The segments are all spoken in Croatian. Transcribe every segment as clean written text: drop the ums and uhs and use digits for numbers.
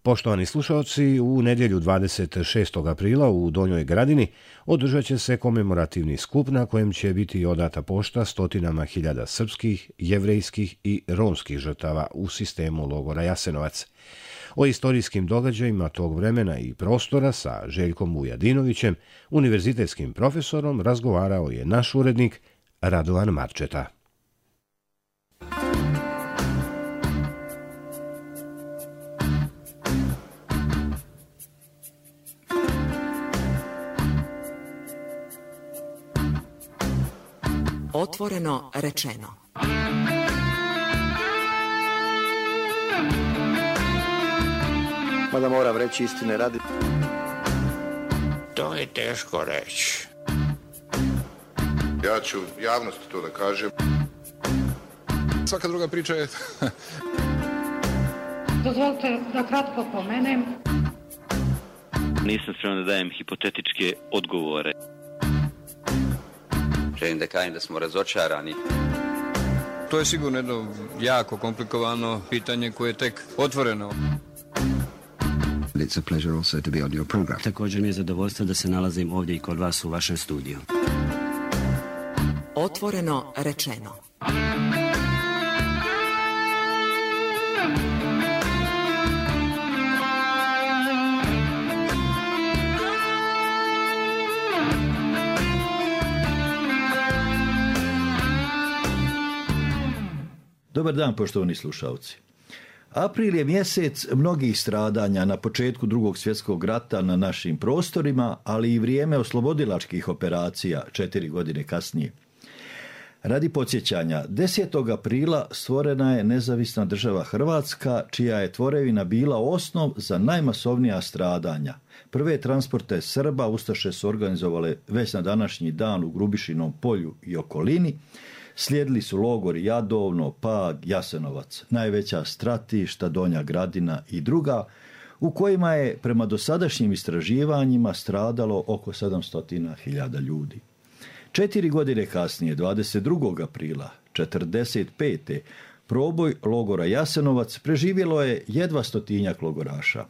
Poštovani slušalci, u nedjelju 26. aprila u Donjoj Gradini održat će se komemorativni skup na kojem će biti odata pošta stotinama hiljada srpskih, jevrejskih i romskih žrtava u sistemu logora Jasenovac. O istorijskim događajima tog vremena i prostora sa Željkom Vujadinovićem, univerzitetskim profesorom, razgovarao je naš urednik Radovan Marčeta. Otvoreno rečeno. Mada moram reći istine radi. To je teško reći. Ja ću javnosti to da kažem. Svaka druga priča je... Dozvolite da kratko pomenem. Nisam spreman da dajem hipotetičke odgovore. Želim da kažem da smo razočarani. To je sigurno jedno jako komplikovano pitanje koje je tek otvoreno. It's a pleasure also to be on your program. Također mi je zadovoljstvo da se nalazim ovdje i kod vas u vašem studiju. Otvoreno rečeno. Dobar dan, poštovani slušalci. April je mjesec mnogih stradanja na početku Drugog svjetskog rata na našim prostorima, ali i vrijeme oslobodilačkih operacija 4 godine kasnije. Radi podsjećanja, 10. aprila stvorena je nezavisna država Hrvatska, čija je tvorevina bila osnov za najmasovnija stradanja. Prve transporte Srba ustaše su organizovale već na današnji dan u Grubišinom polju i okolini. Slijedili su logori Jadovno, Pag, Jasenovac, najveća stratišta, Donja Gradina i druga, u kojima je prema dosadašnjim istraživanjima stradalo oko 700.000 ljudi. 4 godine kasnije, 22. aprila 1945. proboj logora Jasenovac preživjelo je jedva 100-tinjak logoraša.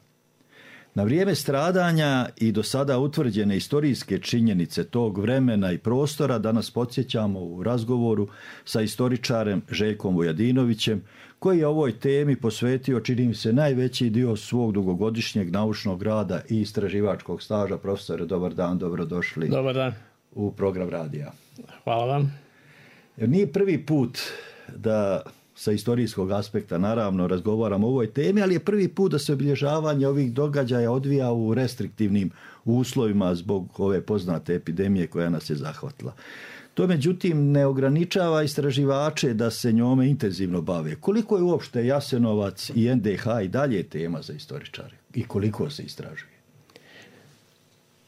Na vrijeme stradanja i do sada utvrđene istorijske činjenice tog vremena i prostora danas podsjećamo u razgovoru sa istoričarem Željkom Vujadinovićem, koji je ovoj temi posvetio, čini mi se, najveći dio svog dugogodišnjeg naučnog rada i istraživačkog staža. Profesore, dobar dan, dobrodošli. Dobar dan. U program radija. Hvala vam. Jer nije prvi put da sa istorijskog aspekta naravno razgovaramo o ovoj temi, ali je prvi put da se obilježavanje ovih događaja odvija u restriktivnim uslovima zbog ove poznate epidemije koja nas je zahvatila. To međutim ne ograničava istraživače da se njome intenzivno bave. Koliko je uopšte Jasenovac i NDH i dalje tema za istoričare i koliko se istražuje?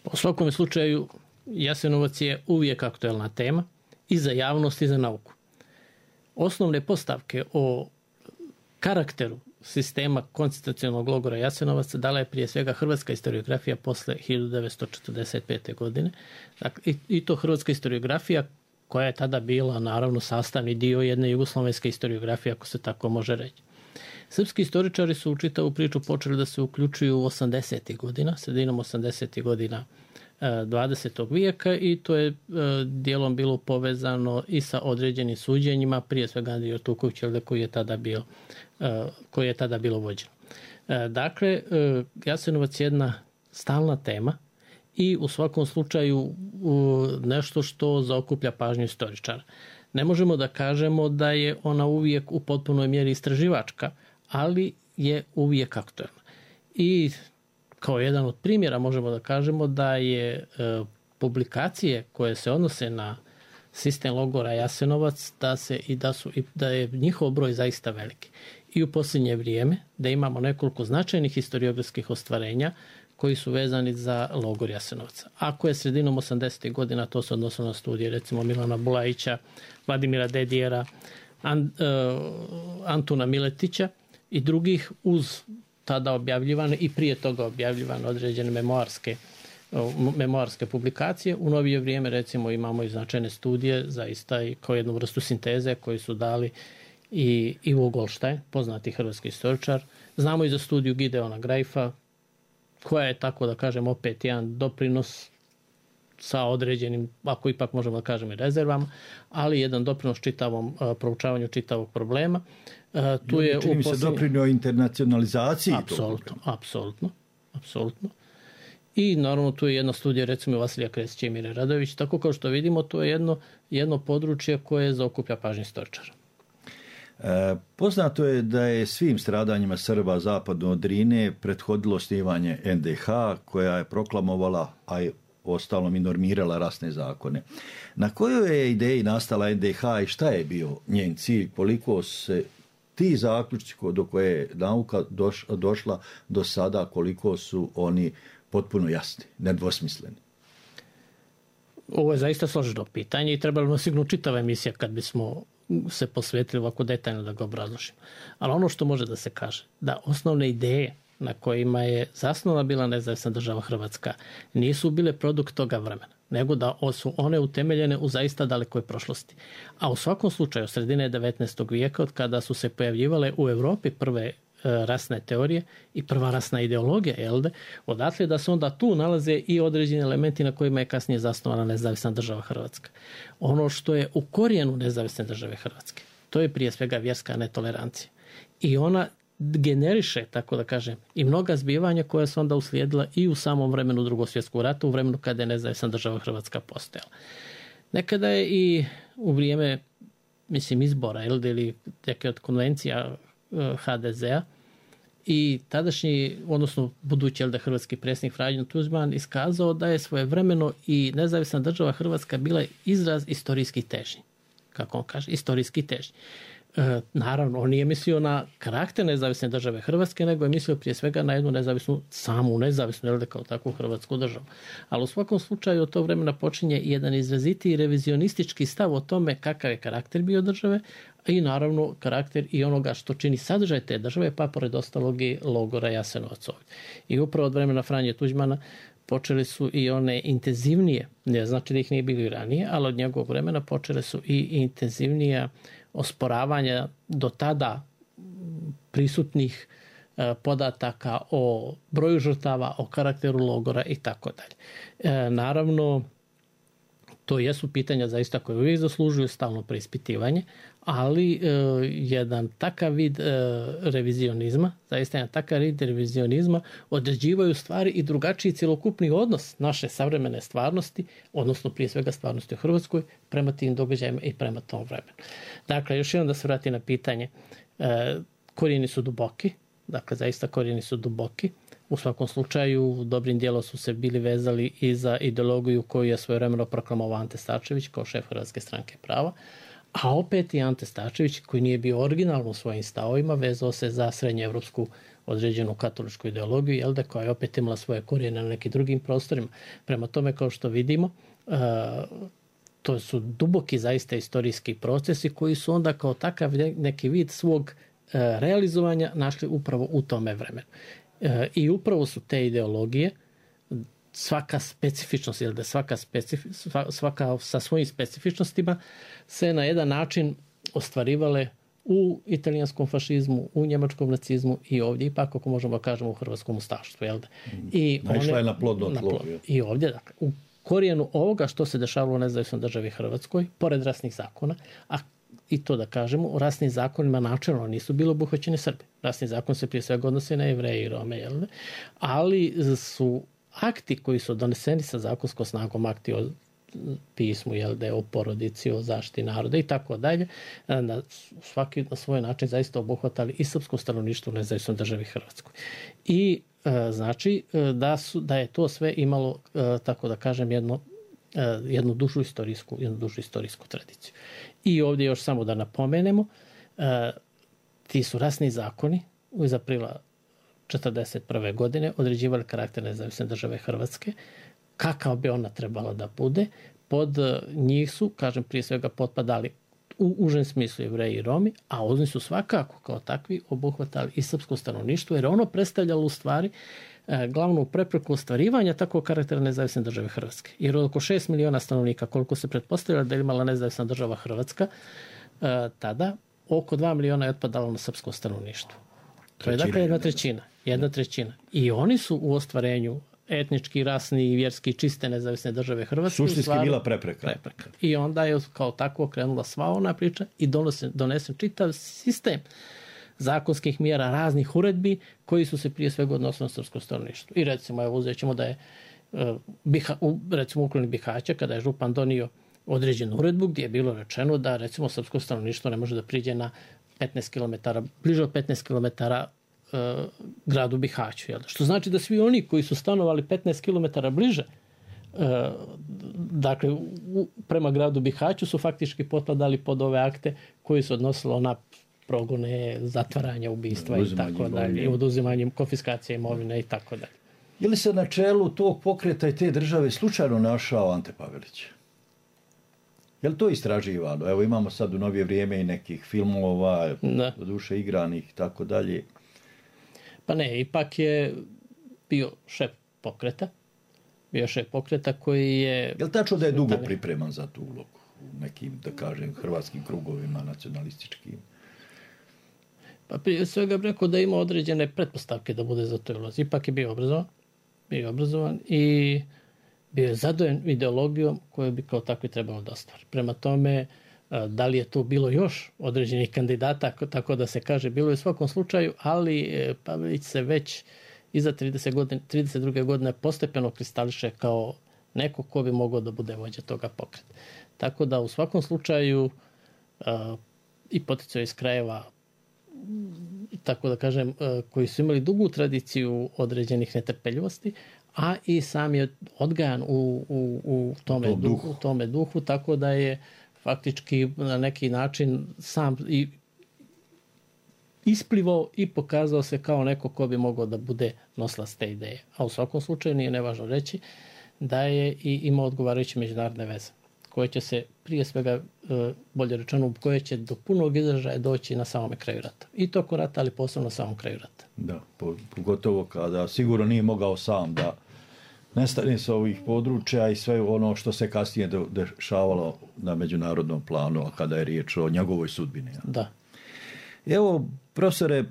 U svakom slučaju Jasenovac je uvijek aktuelna tema i za javnost i za nauku. Osnovne postavke o karakteru sistema koncentracionog logora Jasenovac dala je prije svega hrvatska historiografija posle 1945. godine. Dakle, i to hrvatska historiografija koja je tada bila naravno sastavni dio jedne jugoslovenske historiografije, ako se tako može reći. Srpski istoričari su u čitavu priču počeli da se uključuju u 80. godina, sredinom 80. godina 20. vijeka i to je dijelom bilo povezano i sa određenim suđenjima, prije svega Andrija Tuković, koji je tada bilo vođeno. Dakle, Jasenovac je jedna stalna tema i u svakom slučaju nešto što zaokuplja pažnju istoričara. Ne možemo da kažemo da je ona uvijek u potpunoj mjeri istraživačka, ali je uvijek aktuelna. I kao jedan od primjera možemo da kažemo da je publikacije koje se odnose na sistem logora Jasenovac, da je njihov broj zaista veliki. I u posljednje vrijeme da imamo nekoliko značajnih historiografskih ostvarenja koji su vezani za logor Jasenovac. Ako je sredinom 80. godina, to se odnosilo na studije recimo Milana Bulajića, Vladimira Dedijera, Antuna Miletića i drugih uz tada objavljivane i prije toga objavljivane određene memoarske publikacije. U novije vrijeme recimo imamo i značajne studije, zaista i kao jednu vrstu sinteze koji su dali i Ivo Goldstein, poznati hrvatski istoričar. Znamo i za studiju Gideona Grajfa, koja je, tako da kažem, opet jedan doprinos sa određenim, ako ipak možemo da kažemo i rezervama, ali jedan doprinos čitavom proučavanju čitavog problema. Tu je čini mi se doprinio internacionalizaciji. Apsolutno. I naravno tu je jedna studija recimo Vasilija Kresića i Mire Radović. Tako kao što vidimo, to je jedno područje koje zaokuplja pažnju istoričara. Poznato je da je svim stradanjima Srba zapadno od Drine prethodilo osnivanje NDH koja je proklamovala, a je ostalom i normirala rasne zakone. Na kojoj je ideji nastala NDH i šta je bio njen cilj? Koliko se ti zaključci do koje je nauka došla do sada, koliko su oni potpuno jasni, nedvosmisleni? Ovo je zaista složeno pitanje i trebalo nam sigurno čitava emisija kad bismo se posvetili ovako detaljno da ga obrazložimo. Ali ono što može da se kaže, da osnovne ideje na kojima je zasnovana bila nezavisna država Hrvatska nisu bile produkt toga vremena, nego da su one utemeljene u zaista dalekoj prošlosti. A u svakom slučaju, sredine 19. vijeka, od kada su se pojavljivale u Europi prve rasne teorije i prva rasna ideologija, odatle da se onda tu nalaze i određeni elementi na kojima je kasnije zasnovana nezavisna država Hrvatska. Ono što je u korijenu nezavisne države Hrvatske, to je prije svega vjerska netolerancija. I ona generiše, tako da kažem, i mnoga zbivanja koja su onda uslijedila i u samom vremenu Drugog svjetskog rata, u vremenu kada je nezavisna država Hrvatska postojala. Nekada je i u vrijeme, izbora ili neke od konvencija HDZ-a i tadašnji, odnosno budući hrvatski predsjednik Franjo Tuđman iskazao da je svojevremeno i nezavisna država Hrvatska bila izraz istorijskih težnji. Kako on kaže, istorijski težnji. Naravno, on nije mislio na karakter nezavisne države Hrvatske, nego je mislio prije svega na jednu nezavisnu, samu nezavisnu, kao takvu Hrvatsku državu. Ali u svakom slučaju od tog vremena počinje jedan izrazitiji revizionistički stav o tome kakav je karakter bio države i naravno karakter i onoga što čini sadržaj te države, pa pored ostalog i logora Jasenovac ovdje. I upravo od vremena Franje Tuđmana počeli su i one intenzivnije, ne znači da ih nije bilo i ranije, ali od njegovog vremena počele su i intenzivnija osporavanja do tada prisutnih podataka o broju žrtava, o karakteru logora i tako dalje. Naravno, to jesu pitanja zaista koje uvijek zaslužuju stalno preispitivanje, ali jedan takav vid revizionizma, zaista jedan takav vid revizionizma određivaju stvari i drugačiji cjelokupni odnos naše savremene stvarnosti, odnosno prije svega stvarnosti u Hrvatskoj, prema tim događajima i prema tom vremenu. Dakle, još jednom da se vrati na pitanje, korijeni su duboki, dakle zaista korijeni su duboki. U svakom slučaju, dobrim dijelom su se bili vezali i za ideologiju koju je svojevremeno proklamovao Ante Starčević kao šef Hrvatske stranke prava, a opet i Ante Starčević, koji nije bio originalno u svojim stavovima, vezao se za srednjeevropsku određenu katoličku ideologiju, koja je opet imala svoje korijene na nekim drugim prostorima. Prema tome, kao što vidimo, to su duboki zaista istorijski procesi koji su onda kao takav neki vid svog realizovanja našli upravo u tome vremenu. I upravo su te ideologije, svaka specifičnost, svaka sa svojim specifičnostima se na jedan način ostvarivale u italijanskom fašizmu, u njemačkom nacizmu i ovdje, ipak ako možemo kažemo u hrvatskom ustaštvu. Naišla je na plodno tlo. I ovdje, dakle, u korijenu ovoga što se dešavalo u nezavisnoj državi Hrvatskoj, pored rasnih zakona, a i to da kažemo, u rasnim zakonima načelno nisu bili obuhvaćeni Srbi. Rasni zakon se prije svega odnosi na Jevreje i Rome, ali su akti koji su doneseni sa zakonskom snagom, akti o pismu, o porodici, o zaštiti naroda i tako dalje, svaki na svoj način zaista obuhvatali i srpsko stanovništvo u nezavisnoj državi Hrvatskoj. I znači da je to sve imalo, tako da kažem, jednu dužu istorijsku tradiciju. I ovdje još samo da napomenemo, ti su rasni zakoni iz aprila 1941. godine određivali karakter nezavisne države Hrvatske, kakav bi ona trebala da bude. Pod njih su, kažem, prije svega potpadali u užem smislu Jevreji i Romi, a oni su svakako kao takvi obuhvatali i srpsko stanovništvo, jer ono predstavljalo u stvari glavnu prepreku ostvarivanja takvog karaktera nezavisne države Hrvatske. Jer oko 6 miliona stanovnika, koliko se pretpostavljalo da je imala nezavisna država Hrvatska, tada oko 2 miliona je otpadalo na srpsko stanovništvo. To je dakle jedna trećina. I oni su u ostvarenju etnički, rasni i vjerski čiste nezavisne države Hrvatske. Suštinski bila prepreka. I onda je kao tako krenula sva ona priča i donesen čitav sistem zakonskih mjera, raznih uredbi koji su se prije svega odnosili na srpsko stanovništvo. I recimo, evo uzet ćemo da je recimo u okolini Bihaća, kada je župan donio određenu uredbu gdje je bilo rečeno da recimo srpsko stanovništvo ne može da priđe na 15 km, bliže od 15 km gradu Bihaću. Što znači da svi oni koji su stanovali 15 km bliže dakle prema gradu Bihaću su faktički potpadali pod ove akte koji su odnosilo na progone, zatvaranja, ubistva i tako dalje, oduzimanjem, konfiskacije imovine i tako dalje. Je li se na čelu tog pokreta i te države slučajno našao Ante Pavelić? Je li to istraživano? Evo imamo sad u novije vrijeme i nekih filmova, doduše igranih i tako dalje. Pa ne, ipak je bio šef pokreta. Bio šef pokreta koji je... Je li tačno da je dugo pripreman za tu ulogu u nekim, da kažem, hrvatskim krugovima, nacionalističkim? Pa prije svega bih rekao da ima određene pretpostavke da bude za to ulozi. Ipak je bio obrazovan i bio je zadojen ideologijom koju bi kao takvi trebalo da ostvari. Prema tome, da li je tu bilo još određenih kandidata, tako da se kaže, bilo je u svakom slučaju, ali Pavelić se već iza 32. godine postepeno kristališe kao neko ko bi mogao da bude vođa toga pokreta. Tako da u svakom slučaju i poticao iz krajeva, tako da kažem, koji su imali dugu tradiciju određenih netrpeljivosti, a i sam je odgajan u tome duhu, tako da je faktički na neki način sam i isplivao i pokazao se kao neko ko bi mogao da bude nosilac te ideje. A u svakom slučaju nije nevažno reći da je i imao odgovarajuće međunarodne veze, koje će se prije svega, bolje rečeno, koje će do punog izražaja doći na samome kraju rata. I tokom rata, ali posebno na samom kraju rata. Da, pogotovo kada sigurno nije mogao sam da nestane sa ovih područja i sve ono što se kasnije dešavalo na međunarodnom planu, kada je riječ o njegovoj sudbini. Da. Evo, profesore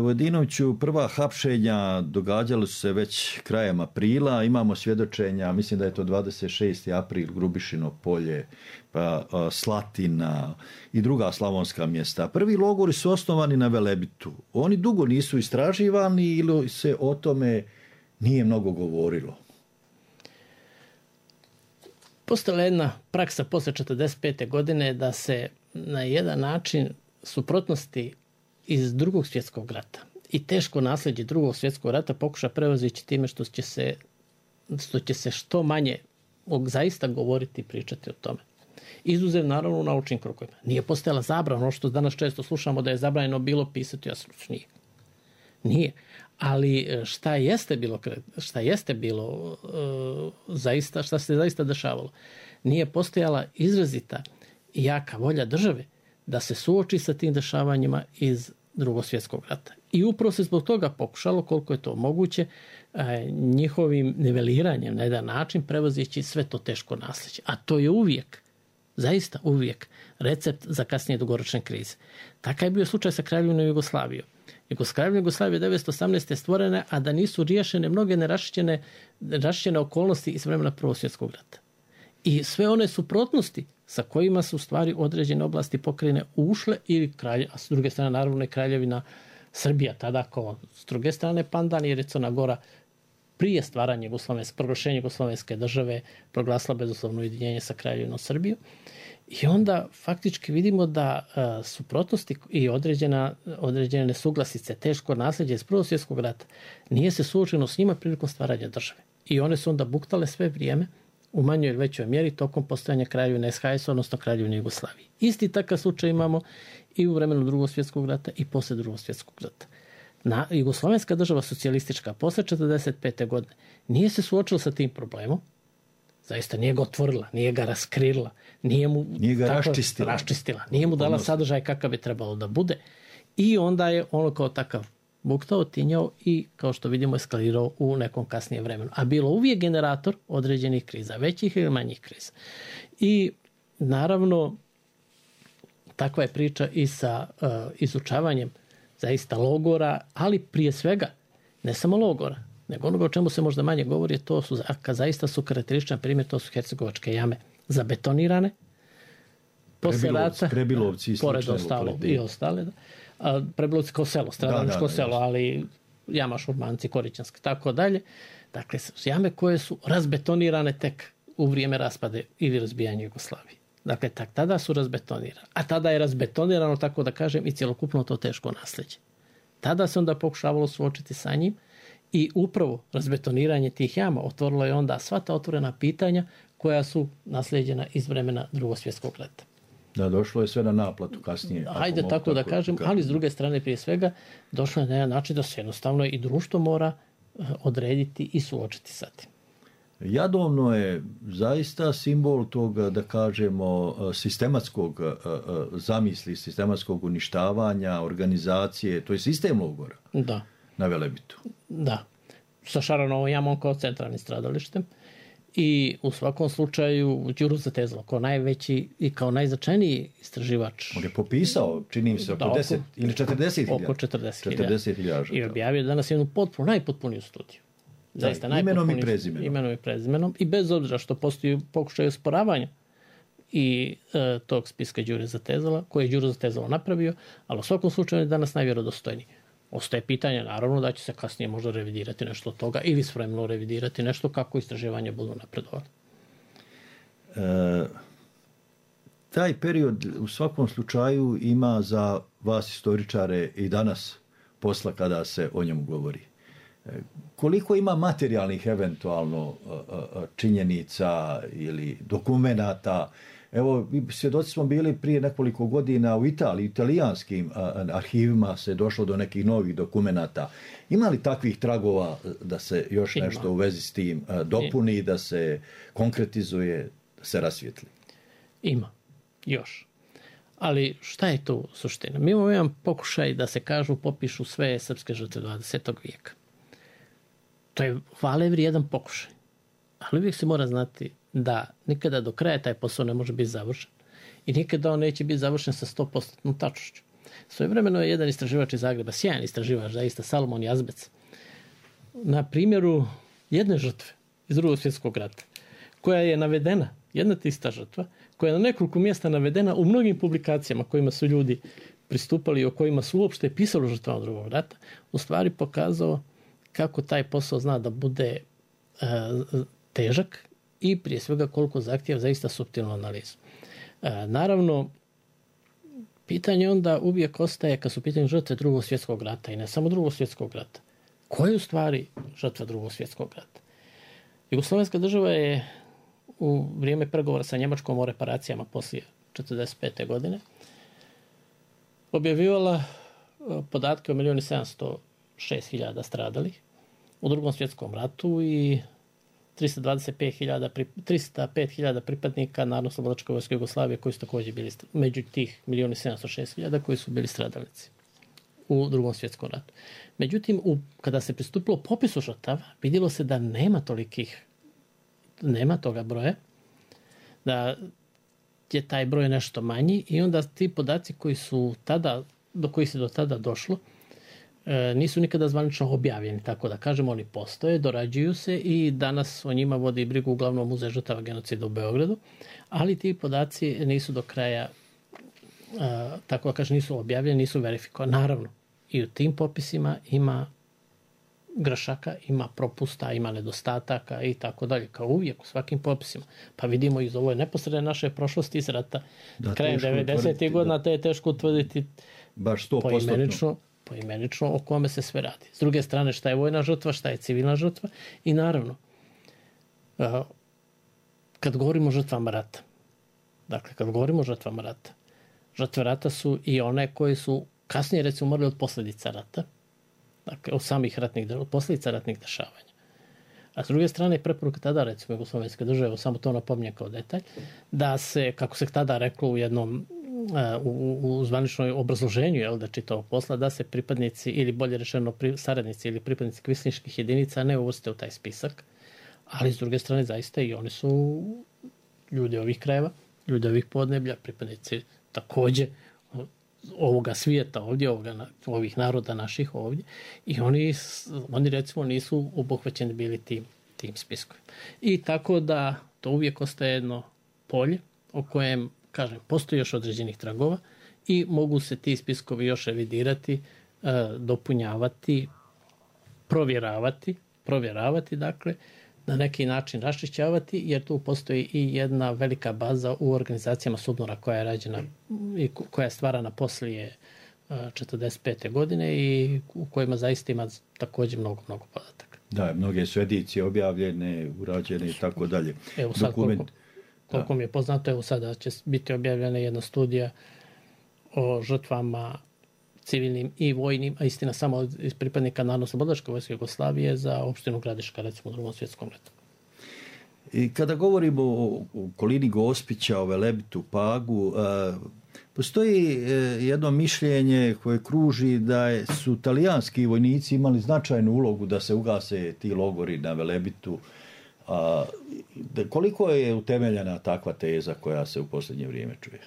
Vojadinoviću, prva hapšenja događala su se već krajem aprila, imamo svjedočenja, mislim da je to 26. april, Grubišino polje, pa Slatina i druga slavonska mjesta. Prvi logori su osnovani na Velebitu. Oni dugo nisu istraživani ili se o tome nije mnogo govorilo? Postala jedna praksa posle 1945. godine da se na jedan način suprotnosti iz Drugog svjetskog rata i teško nasljeđe Drugog svjetskog rata pokuša prevazići time što će se što manje zaista govoriti i pričati o tome. Izuzev naravno u naučnim krugovima. Nije postojala zabrana, ono što danas često slušamo da je zabranjeno bilo pisati o Jasenovac. Nije. Ali šta jeste bilo zaista, šta se zaista dešavalo? Nije postojala izrazita i jaka volja države da se suoči sa tim dešavanjima iz Drugog svjetskog rata. I upravo se zbog toga pokušalo, koliko je to moguće, njihovim niveliranjem na jedan način prevozići sve to teško nasljeđe. A to je uvijek, zaista uvijek, recept za kasnije dugoročne krize. Takav je bio slučaj sa Kraljevinom Jugoslavijom. Kraljevina Jugoslavije 1918. stvorene, a da nisu riješene mnoge nerašćene okolnosti iz vremena Prvog svjetskog rata. I sve one suprotnosti sa kojima su u stvari određene oblasti pokrajine ušle, a s druge strane naravno i Kraljevina Srbija, tada kao s druge strane pandan, jer je Crna Gora prije stvaranja proglašenja Jugoslovenske države proglasila bezuslovno ujedinjenje sa Kraljevinom Srbijom. I onda faktički vidimo da suprotnosti i određene nesuglasice, teško nasljeđe iz Prvog svjetskog rata nije se suočeno s njima prilikom stvaranja države. I one su onda buktale sve vrijeme u manjoj ili većoj mjeri tokom postojanja Kraljevine SHS, odnosno Kraljevine Jugoslavije. Isti takav slučaj imamo i u vremenu Drugog svjetskog rata i poslije Drugog svjetskog rata. Jugoslovenska država socijalistička posle 1945. godine nije se suočila sa tim problemom, zaista nije ga otvorila, nije ga raskrila, nije ga raščistila, nije mu dala sadržaj kakav je trebalo da bude i onda je ono kao takav buktao, tinjao i kao što vidimo eskalirao u nekom kasnijem vremenu. A bilo uvijek generator određenih kriza, većih ili manjih kriza. I naravno takva je priča i sa izučavanjem zaista logora, ali prije svega ne samo logora, nego onoga o čemu se možda manje govori, to su, zaista su karakterističan primjer, to su hercegovačke jame zabetonirane, posle rata, Prebilovci pored ostalo i ostale, Prebilovci kao selo, stradalničko selo, ali jama Šurmanci, Korićanska, tako dalje. Dakle, jame koje su razbetonirane tek u vrijeme raspade ili razbijanja Jugoslavije. Dakle, tada su razbetonirane. A tada je razbetonirano, tako da kažem, i cjelokupno to teško nasljeđe. Tada se onda pokušavalo suočiti sa njim i upravo razbetoniranje tih jama otvorilo je onda sva ta otvorena pitanja koja su nasljeđena iz vremena Drugog svjetskog rata. Da, došlo je sve na naplatu kasnije. Hajde tako da kažem, ali s druge strane prije svega došlo je na jedan način da se jednostavno i društvo mora odrediti i suočiti sa tim. Jadovno je zaista simbol tog, da kažemo, sistematskog zamisli, sistematskog uništavanja, organizacije, to je sistem logora. Da. Na Velebitu. Da. Sa Šaranovom jamom kao centralnim stradalištem. I u svakom slučaju Đuro Zatezalo kao najveći i kao najznačajniji istraživač. On je popisao, čini mi se, oko 10 ili 40.000. Oko 40.000. I objavio danas jednu najpotpuniju studiju. Zaista imenom i prezimenom. I bez obzira što postoji pokušaj osporavanja i tog spiska Đure Zatezala, koji je Đuro Zatezalo napravio, ali u svakom slučaju je danas najvjerodostojniji. Ostaje pitanje, naravno, da će se kasnije možda revidirati nešto od toga ili spremno revidirati nešto kako istraživanje budu napredovali. Taj period u svakom slučaju ima za vas historičare i danas posla kada se o njemu govori. Koliko ima materijalnih eventualno činjenica ili dokumenata? Evo, svjedoci smo bili prije nekoliko godina u Italiji, italijanskim arhivima se došlo do nekih novih dokumenata. Ima li takvih tragova da se još nešto u vezi s tim dopuni, da se konkretizuje, da se rasvijetli? Ima, još. Ali šta je tu suština? Mi imamo jedan pokušaj da se popišu sve srpske žrtve 20. vijeka. To je hvale vrijedan pokušaj. Ali uvijek se mora znati da nikada do kraja taj posao ne može biti završen i nikada on neće biti završen sa 100% tačnošću. Svojevremeno je jedan istraživač iz Zagreba, sjajan istraživač, zaista Salomon Jazbec, na primjeru jedne žrtve iz Drugog svjetskog rata, koja je navedena, jedna tista žrtva, koja je na nekoliko mjesta navedena u mnogim publikacijama kojima su ljudi pristupali i o kojima su uopšte pisali o žrtvama Drugog rata, u stvari pokazao kako taj posao zna da bude težak i prije svega koliko zahtijeva zaista suptilnu analizu. Naravno, pitanje onda uvijek ostaje kad su pitanje žrtve Drugog svjetskog rata i ne samo Drugog svjetskog rata. Ko je u stvari žrtva Drugog svjetskog rata? Jugoslovenska država je u vrijeme pregovora sa Njemačkom o reparacijama poslije 1945. godine objavljivala podatke o 1.706.000 stradalih u Drugom svjetskom ratu i 305.000 pripadnika Narodno-slobodilačke vojske Jugoslavije koji su također bili među tih 1.706.000 koji su bili stradalnici u Drugom svjetskom ratu. Međutim, kada se pristupilo popisu žrtava, vidjelo se da nema toga broja, da je taj broj nešto manji i onda ti podaci do kojih se do tada došlo nisu nikada zvanično objavljeni, tako da kažemo, oni postoje, dorađuju se i danas o njima vodi brigu uglavnom Muzej žrtava genocida u Beogradu, ali ti podaci nisu do kraja, tako da kažem, nisu objavljeni, nisu verifikovani. Naravno, i u tim popisima ima grešaka, ima propusta, ima nedostataka i tako dalje, kao uvijek u svakim popisima. Pa vidimo iz ove neposredne naše prošlosti iz rata, krajem 90. godina, te je teško utvrditi baš 100%. Poimenično o kome se sve radi. S druge strane, šta je vojna žrtva, šta je civilna žrtva i naravno, kad govorimo o žrtvama rata, žrtve rata su i one koje su kasnije recimo umrli od posljedica rata, dakle od posljedica ratnih dešavanja. A s druge strane, preporuka tada, recimo Jugoslovenske države, samo to napominjem kao detalj, da se, kako se tada reklo u jednom u zvaničnoj obrazloženju da čitavog posla, da se pripadnici ili bolje rečeno saradnici ili pripadnici kvislinških jedinica ne uvrste u taj spisak, ali s druge strane zaista i oni su ljudi ovih krajeva, ljudi ovih podneblja, pripadnici također ovoga svijeta ovdje, ovih naroda naših ovdje, i oni recimo nisu obuhvaćeni bili tim spiskovima. I tako da to uvijek ostaje jedno polje o kojem, kažem, postoji još određenih tragova i mogu se ti spiskovi još revidirati, dopunjavati, provjeravati, dakle, na neki način raščišćavati, jer tu postoji i jedna velika baza u organizacijama SUBNOR-a koja je rađena i koja je stvarana poslije 1945. godine i u kojima zaista ima također mnogo podataka. Da, mnoge su edicije objavljene, urađene i tako dalje. Evo sad, koliko mi je poznato, evo sada će biti objavljena jedna studija o žrtvama civilnim i vojnim, a istina samo iz pripadnika Narodno-oslobodilačke vojske Jugoslavije za opštinu Gradiška, recimo u Drugom svjetskom ratu. I kada govorimo o okolini Gospića, o Velebitu, Pagu, postoji jedno mišljenje koje kruži da su talijanski vojnici imali značajnu ulogu da se ugase ti logori na Velebitu. Koliko je utemeljena takva teza koja se u posljednje vrijeme čuje?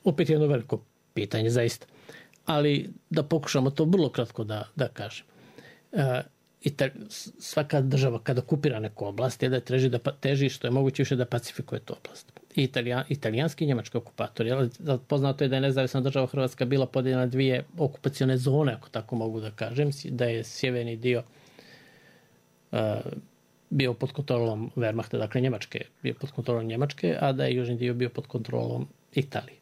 Opet jedno veliko pitanje, zaista. Ali da pokušamo to vrlo kratko da kažem. Svaka država kada okupira neku oblast je da teži što je moguće više da pacifikuje tu oblast. I italijanski i njemački okupatori. Poznato je da je nezavisna država Hrvatska bila podijeljena na dvije okupacione zone, ako tako mogu da kažem, da je sjeverni dio bio pod kontrolom Wehrmachta, dakle Njemačke, bio pod kontrolom Njemačke, a da je južni dio bio pod kontrolom Italije.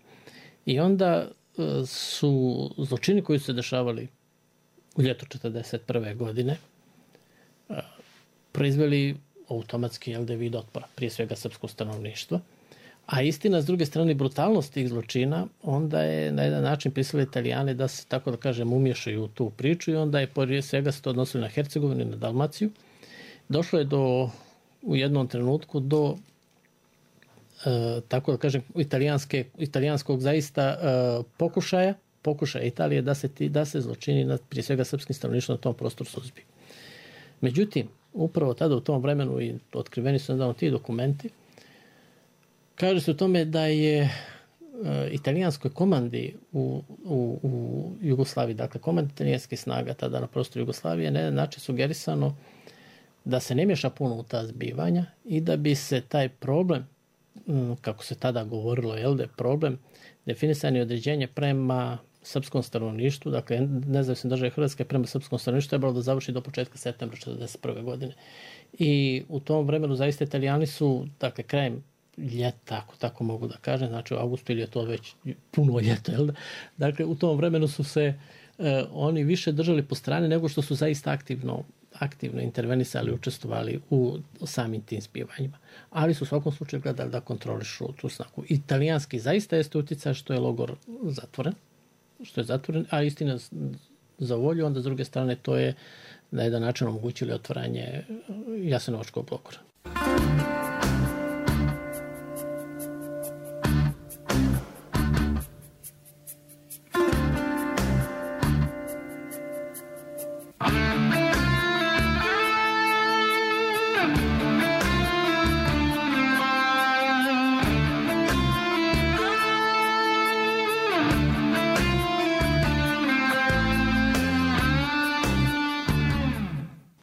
I onda su zločini koji su se dešavali u ljetu 1941. godine proizveli automatski vid otpora, prije svega srpskog stanovništva. A istina, s druge strane, brutalnost tih zločina, onda je na jedan način prisilili Italijane da se, tako da kažem, umješaju u tu priču i onda je prije svega se to odnosilo na Hercegovinu i na Dalmaciju. Došlo je u jednom trenutku do tako da kažem, italijanskog zaista pokušaja Italije da se zločini prije svega srpskim stanovništvom na tom prostoru suzbiju. Međutim, upravo tada u tom vremenu i otkriveni su nedavno ti dokumenti, kaže se o tome da je italijanskoj komandi u Jugoslaviji, dakle komandi italijanskih snaga tada na prostoru Jugoslavije, na jedan način sugerisano da se ne miješa puno u ta zbivanja i da bi se taj problem, kako se tada govorilo, da je problem definisanje određenje prema srpskom stanovništvu, dakle nezavisne države Hrvatske prema srpskom stanovništvu trebalo da završi do početka septembra 1941. godine. I u tom vremenu zaista Italijani su, dakle krajem ljeta, ako tako mogu da kažem, znači u avgustu ili je to već puno ljeta, dakle u tom vremenu su se oni više držali po strani nego što su zaista aktivno intervenisali, učestvovali u samim tim zbivanjima. Ali su u svakom slučaju gledali da kontrolišu tu snagu. Italijanski zaista jeste utjecaj što je logor zatvoren, a istina za volju, onda s druge strane to je na jedan način omogućili otvaranje Jasenovačkog logora.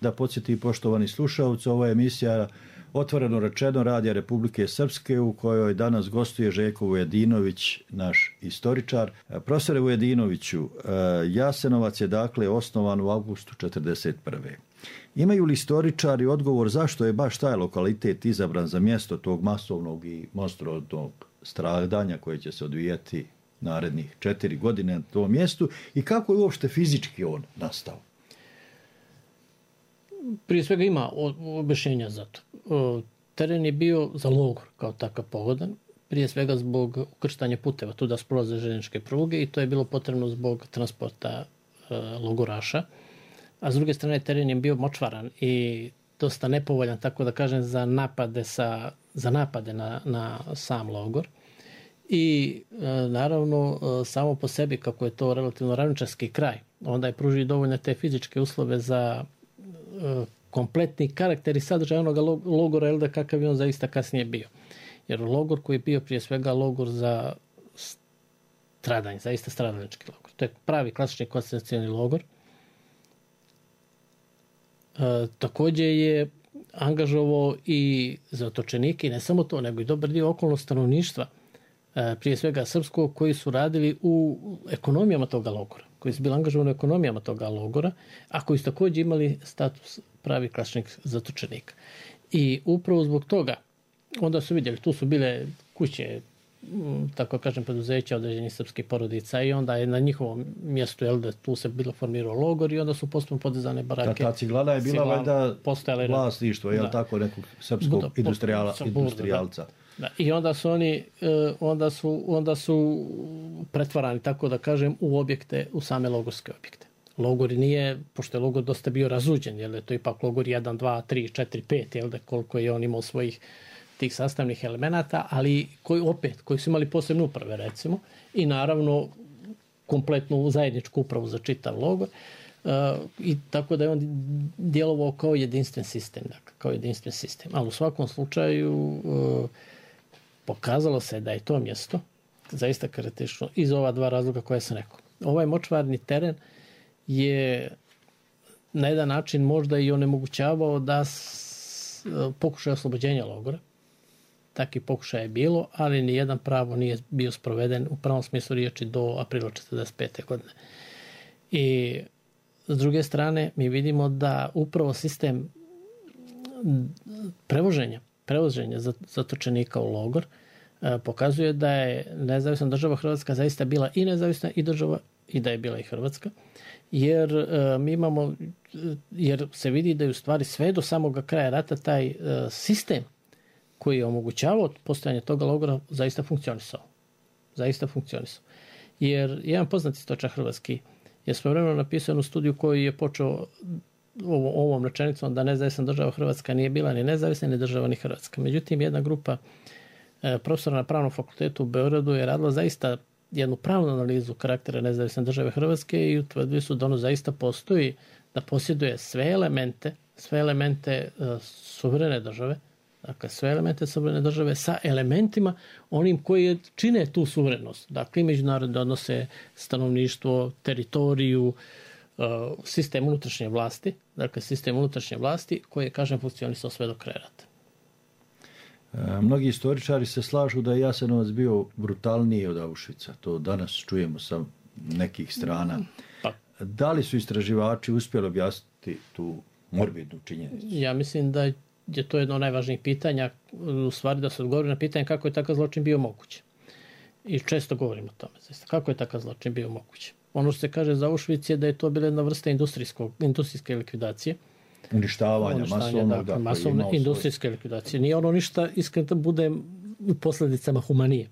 Da podsjeti poštovani slušalci, ovo je emisija Otvoreno rečeno Radija Republike Srpske u kojoj danas gostuje Željko Vujedinović, naš istoričar. Profesore Vujedinoviću, Jasenovac je dakle osnovan u avgustu 1941. Imaju li istoričari odgovor zašto je baš taj lokalitet izabran za mjesto tog masovnog i monstruoznog stradanja koje će se odvijati narednih 4 godine na tom mjestu i kako je uopšte fizički on nastao? Prije svega ima objašnjenja za to. Teren je bio za logor kao takav pogodan, prije svega zbog ukrštanja puteva, tu da prolaze željezničke pruge i to je bilo potrebno zbog transporta logoraša. A s druge strane teren je bio močvaran i dosta nepovoljan, tako da kažem, za napade na sam logor. I naravno samo po sebi, kako je to relativno ravničarski kraj, onda je pružio dovoljne te fizičke uslove za kompletni karakter i sadržaj onoga logora, kakav je on zaista kasnije bio. Jer logor koji je bio prije svega logor za stradanje, zaista stradalnički logor. To je pravi klasični koncentracioni logor. Također je angažovao i zatočenike, i ne samo to, nego i dobar dio okolnog stanovništva, prije svega srpskog, koji su radili u ekonomijama toga logora, koji su bili angažovani u ekonomijama toga logora, a koji su također imali status pravi klasičnih zatočenika. I upravo zbog toga, onda su vidjeli, tu su bile kuće, tako kažem, preduzeća određenih srpskih porodica, i onda je na njihovom mjestu, tu se bilo formirao logor, i onda su postupno podizane barake. Ta ciglana je bila valjda vlasništvo, je li tako, nekog srpskog industrijalca. Da, i onda su pretvarani, tako da kažem, u objekte, u same logorske objekte. Logor nije, pošto je logor dosta bio razuđen, jer je to ipak logor 1, 2, 3, 4, 5, jel da, koliko je on imao svojih tih sastavnih elemenata, ali koji su imali posebne uprave, recimo, i naravno kompletnu zajedničku upravu za čitav logor, i tako da je on djelovao kao jedinstven sistem, ali u svakom slučaju pokazalo se da je to mjesto zaista karakteristično iz ova dva razloga koje sam rekao. Ovaj močvarni teren je na jedan način možda i onemogućavao da pokušaj oslobođenja logora. Takvi pokušaj je bilo, ali nijedan pravo nije bio sproveden u pravom smislu riječi do aprila 1945. godine. I s druge strane mi vidimo da upravo sistem prevoženja zatočenika u logor pokazuje da je nezavisna država Hrvatska zaista bila i nezavisna i država, i da je bila i Hrvatska, jer se vidi da je u stvari sve do samoga kraja rata taj sistem koji je omogućavao postojanje toga logora zaista funkcionisao. Jer jedan poznati stočar hrvatski je svojevremeno napisao jednu studiju koju je počeo ovom rečenicom da nezavisna država Hrvatska nije bila ni nezavisna ni država ni Hrvatska. Međutim, jedna grupa profesora na Pravnom fakultetu u Beogradu je radila zaista jednu pravnu analizu karaktera nezavisne države Hrvatske i utvrdili su da ono zaista postoji, da posjeduje sve elemente suverene države, dakle sve elemente suverene države sa elementima onim koji čine tu suverenost. Dakle, i međunarodne odnose, stanovništvo, teritoriju, sistem unutrašnje vlasti, koji je, kažem, funkcionisao sve do kraja rata. Mnogi istoričari se slažu da je Jasenovac bio brutalniji od Auschwitza. To danas čujemo sa nekih strana. Da li su istraživači uspjeli objasniti tu morbidnu činjenicu? Ja mislim da je to jedno od najvažnijih pitanja, u stvari da se odgovori na pitanje kako je takav zločin bio moguće. I često govorimo o tome. Kako je takav zločin bio moguće? Ono što se kaže za Auschwitz je da je to bila jedna vrsta industrijske likvidacije. Uništavanja, masovne industrijske likvidacije. Nije ono ništa, iskreno, bude u posljedicama humanije.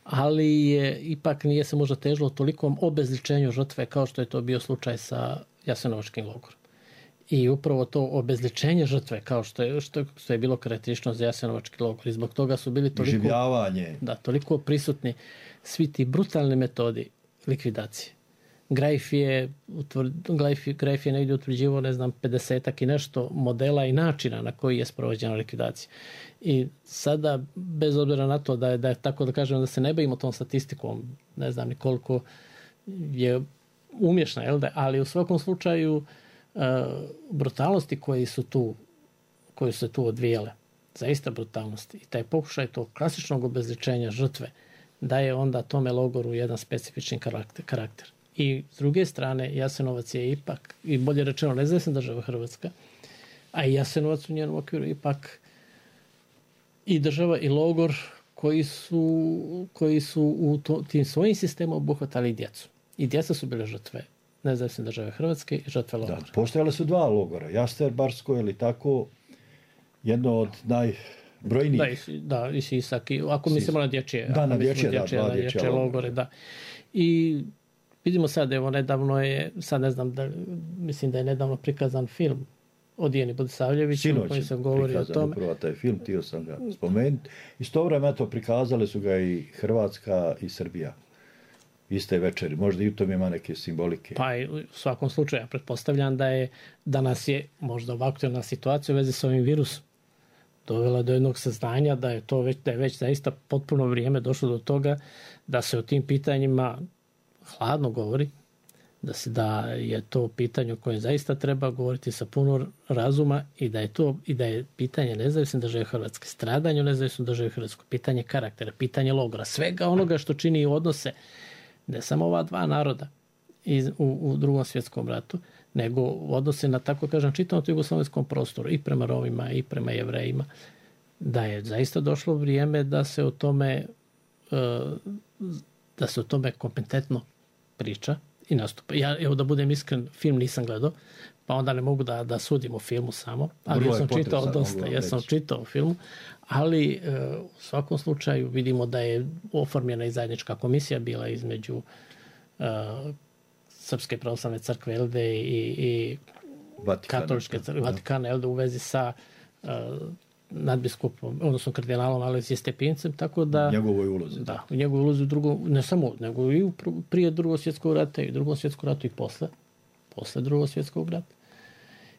Ali ipak nije se možda težilo tolikom obezličenju žrtve kao što je to bio slučaj sa Jasenovačkim logorom. I upravo to obezličenje žrtve kao što je bilo karakteristično za Jasenovački logor. I zbog toga su bili toliko prisutni svi ti brutalni metodi likvidacije. Greif je negdje utvrđivao, 50-ak i nešto modela i načina na koji je sprovođena likvidacija. I sada, bez obzira na to da je tako da kažem da se ne bavimo tom statistikom, ne znam ni koliko je umješna, ali u svakom slučaju brutalnosti koje su se tu odvijele, zaista brutalnosti, i taj pokušaj tog klasičnog obezličenja žrtve daje onda tome logoru jedan specifični karakter. I s druge strane, Jasenovac je ipak, i bolje rečeno, nezavisna država Hrvatska, a i Jasenovac u njenom okviru ipak i država i logor koji su u tim svojim sistemom obuhvatali i djecu. I djeca su bile žrtve nezavisne države Hrvatske i žrtve logora. Postojale su dva logora, Jasterbarsko, ili tako, jedno od najbrojnijih. Da, i Sisak, ako mislimo na dječje. Da, na dječje logore, da. I vidimo sad, evo, nedavno je, sad ne znam, mislim da je nedavno prikazan film o Dijani Budisavljeviću, u kojem se govori o tome. Upravo taj film, htio sam ga spomenuti. Istovremeno to prikazale su ga i Hrvatska i Srbija. Iste večeri, možda i u tom ima neke simbolike. Pa u svakom slučaju, ja pretpostavljam da nas je možda ovakva aktualna situacija u vezi s ovim virusom dovela do jednog saznanja da je već zaista potpuno vrijeme došlo do toga da se o tim pitanjima hladno govori, da je to pitanje o kojem zaista treba govoriti sa puno razuma i da je pitanje nezavisne države Hrvatske, stradanje u nezavisnoj državi Hrvatskoj, pitanje karaktera, pitanje logora, svega onoga što čini odnose ne samo ova dva naroda u Drugom svjetskom ratu, nego odnose na, tako kažem, čitavom jugoslovenskom prostoru i prema Romima i prema Jevrejima, da je zaista došlo vrijeme da se o tome kompetentno priča i nastupa. Ja, evo da budem iskren, film nisam gledao, pa onda ne mogu da sudim o filmu samo, ali ja sam čitao dosta, ja sam čitao o filmu, ali u svakom slučaju vidimo da je oformljena i zajednička komisija bila između Srpske pravoslavne crkve LD i Katoličke crkve Vatikana LD u vezi sa nadbiskupom, odnosno kardinalom Aleksije Stepincem, tako da... Njegovoj ulozi. Da, u njegovoj ulozi u drugom, ne samo, nego i prije Drugog svjetskog rata i u Drugom svjetskom ratu i posle Drugog svjetskog rata.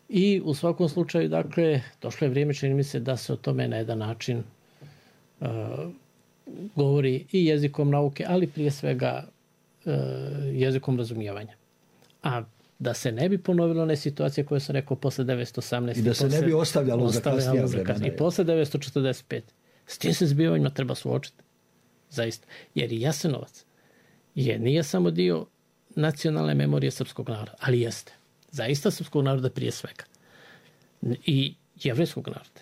I u svakom slučaju, dakle, došlo je vrijeme, čini mi se, da se o tome na jedan način govori i jezikom nauke, ali prije svega jezikom razumijevanja. A da se ne bi ponovilo one situacije koje sam rekao posle 1918. I da se ne bi ostavljalo za kasnija vremena. I posle 1945. S tim se zbivanjima treba suočiti. Zaista. Jer i Jasenovac nije samo dio nacionalne memorije srpskog naroda, ali jeste. Zaista srpskog naroda prije svega. I jevrejskog naroda.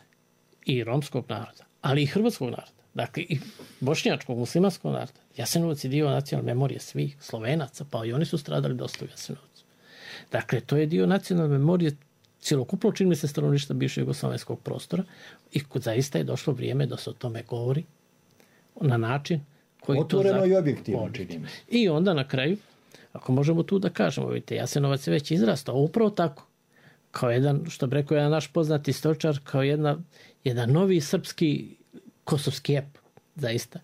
I romskog naroda. Ali i hrvatskog naroda. Dakle, i bošnjačkog, muslimanskog naroda. Jasenovac je dio nacionalne memorije svih Slovenaca, pa i oni su stradali dosta u Jasenovcu. Dakle, to je dio nacionalne memorije cjelokupno, čini mi se, stanovništva bivšeg jugoslovenskog prostora i zaista je došlo vrijeme da se o tome govori na način koji otvoreno i objektivno, čini mi se. I onda na kraju, ako možemo tu da kažemo, vidite, Jasenovac je već izrastao, upravo tako, kao jedan, što bi rekao jedan naš poznati istoričar, kao jedan novi srpski kosovski ep, zaista.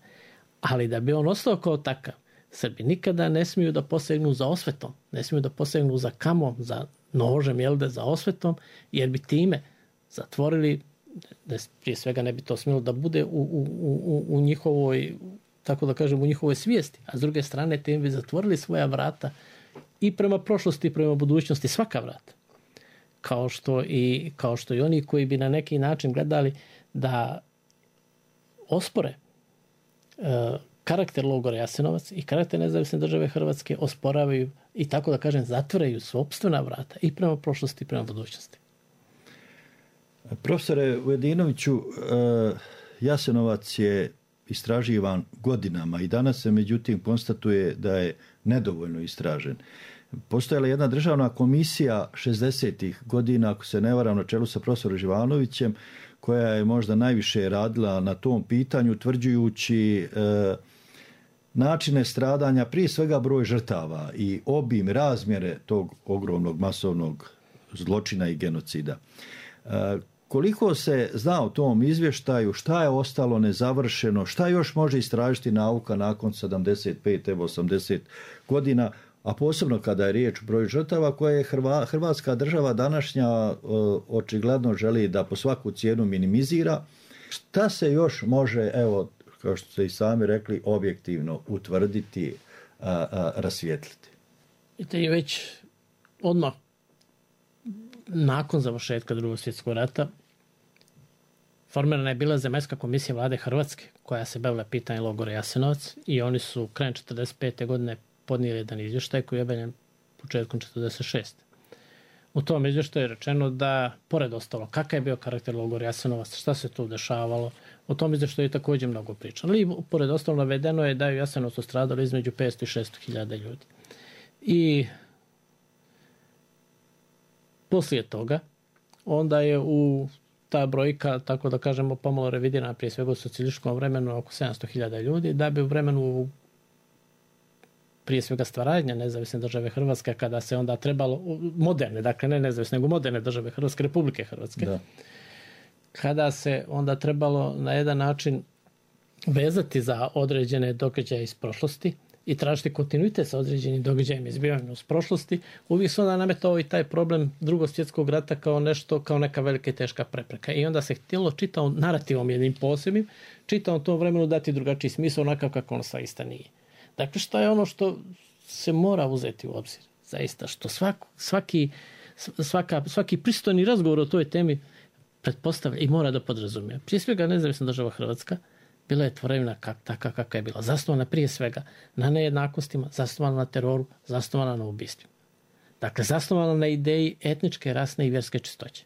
Ali da bi on ostao kao takav, Srbi nikada ne smiju da posegnu za osvetom, ne smiju da posegnu za kamom, za nožem, za osvetom, jer bi time zatvorili, prije svega ne bi to smjelo da bude u njihovoj, tako da kažem, u njihovoj svijesti, a s druge strane time bi zatvorili svoja vrata i prema prošlosti i prema budućnosti, svaka vrata. Kao što i oni koji bi na neki način gledali da ospore karakter logora Jasenovac i karakter nezavisne države Hrvatske osporavaju i, tako da kažem, zatvaraju sopstvena vrata i prema prošlosti i prema budućnosti. Profesore Ujedinoviću, Jasenovac je istraživan godinama i danas se međutim konstatuje da je nedovoljno istražen. Postojala je jedna državna komisija 60-ih godina, ako se ne varam, na čelu sa profesorom Živanovićem, koja je možda najviše radila na tom pitanju, utvrđujući načine stradanja, prije svega broj žrtava i obim, razmjere tog ogromnog masovnog zločina i genocida. Koliko se zna o tom izvještaju, šta je ostalo nezavršeno, šta još može istražiti nauka nakon 75, evo 80 godina, a posebno kada je riječ o broju žrtava koje je Hrvatska država današnja očigledno želi da po svaku cijenu minimizira. Šta se još može, evo, kao što ste i sami rekli, objektivno utvrditi, rasvijetliti? I to je već odmah nakon završetka Drugog svjetskog rata formirana je bila Zemaljska komisija vlade Hrvatske koja se bavila pitanjem logora Jasenovac i oni su krajem 1945. godine podnijeli jedan izvještaj koji je objavljen početkom 1946. U tom izvještaju je rečeno da, pored ostalo, kakav je bio karakter logora Jasenovac, šta se tu dešavalo, o tom izvještaju je također mnogo pričano. I pored ostalo navedeno je da je u Jasenovcu stradalo između 500 i 600 hiljada ljudi. I poslije toga, onda je ta brojka, tako da kažemo, pomalo revidirana prije svega u socijalističkom vremenu oko 700.000 ljudi, da bi u vremenu prije svega stvaranja nezavisne države Hrvatske, kada se onda trebalo, moderne, dakle ne nezavisne, nego moderne države Hrvatske, Republike Hrvatske, da. Kada se onda trebalo na jedan način vezati za određene događaje iz prošlosti i tražiti kontinuitet sa određenim događajima i zbivanjima iz prošlosti, uvijek se onda nametao i taj problem Drugog svjetskog rata kao nešto, kao neka velika i teška prepreka. I onda se htjelo čitavom narativom jednim posebnim, čitavom tom vremenu dati drugačiji smisao onakav kako ono zaista nije. Dakle, što je ono što se mora uzeti u obzir? Zaista, što svaki pristojni razgovor o toj temi pretpostavlja i mora da podrazumije. Prije svega, nezavisna država Hrvatska bila je tvorevina takva kakva je bila. Zasnovana prije svega na nejednakostima, zasnovana na teroru, zasnovana na ubistvima. Dakle, zasnovana na ideji etničke, rasne i vjerske čistoće.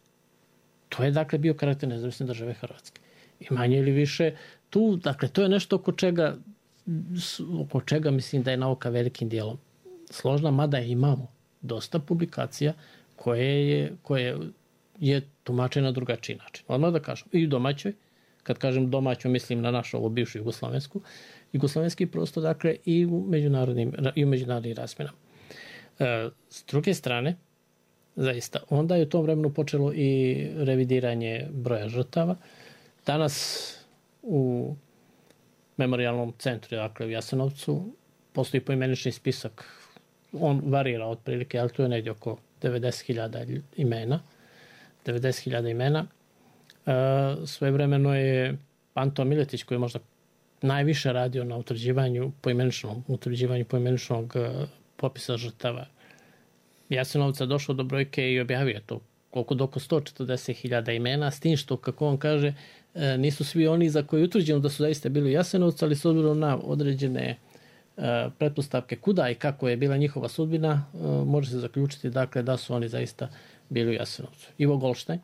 To je, dakle, bio karakter nezavisne države Hrvatske. I manje ili više tu, dakle, to je nešto oko čega mislim da je nauka velikim dijelom složna, mada imamo dosta publikacija koje je tumačeno na drugačiji način. Odmah da kažem, i u domaćoj, kad kažem domaću, mislim na našu ovu bivšu jugoslavenski prostor, dakle, i u međunarodnim razmjenama. S druge strane, zaista, onda je u tom vremenu počelo i revidiranje broja žrtava. Danas u memorijalnom centru, dakle u Jasenovcu, postoji poimenični spisak. On varira otprilike, ali to je negdje oko 90.000 imena. 90.000 imena. Svojevremeno je Anto Miletić, koji je možda najviše radio na utvrđivanju poimeničnog popisa žrtava Jasenovca, došao do brojke i objavio to oko 140.000 imena, s tim što, kako on kaže, nisu svi oni za koje je utvrđeno da su zaista bili u Jasenovcu, ali s obzirom na određene pretpostavke kuda i kako je bila njihova sudbina, može se zaključiti, dakle, da su oni zaista bili u Jasenovcu. Ivo Goldstein,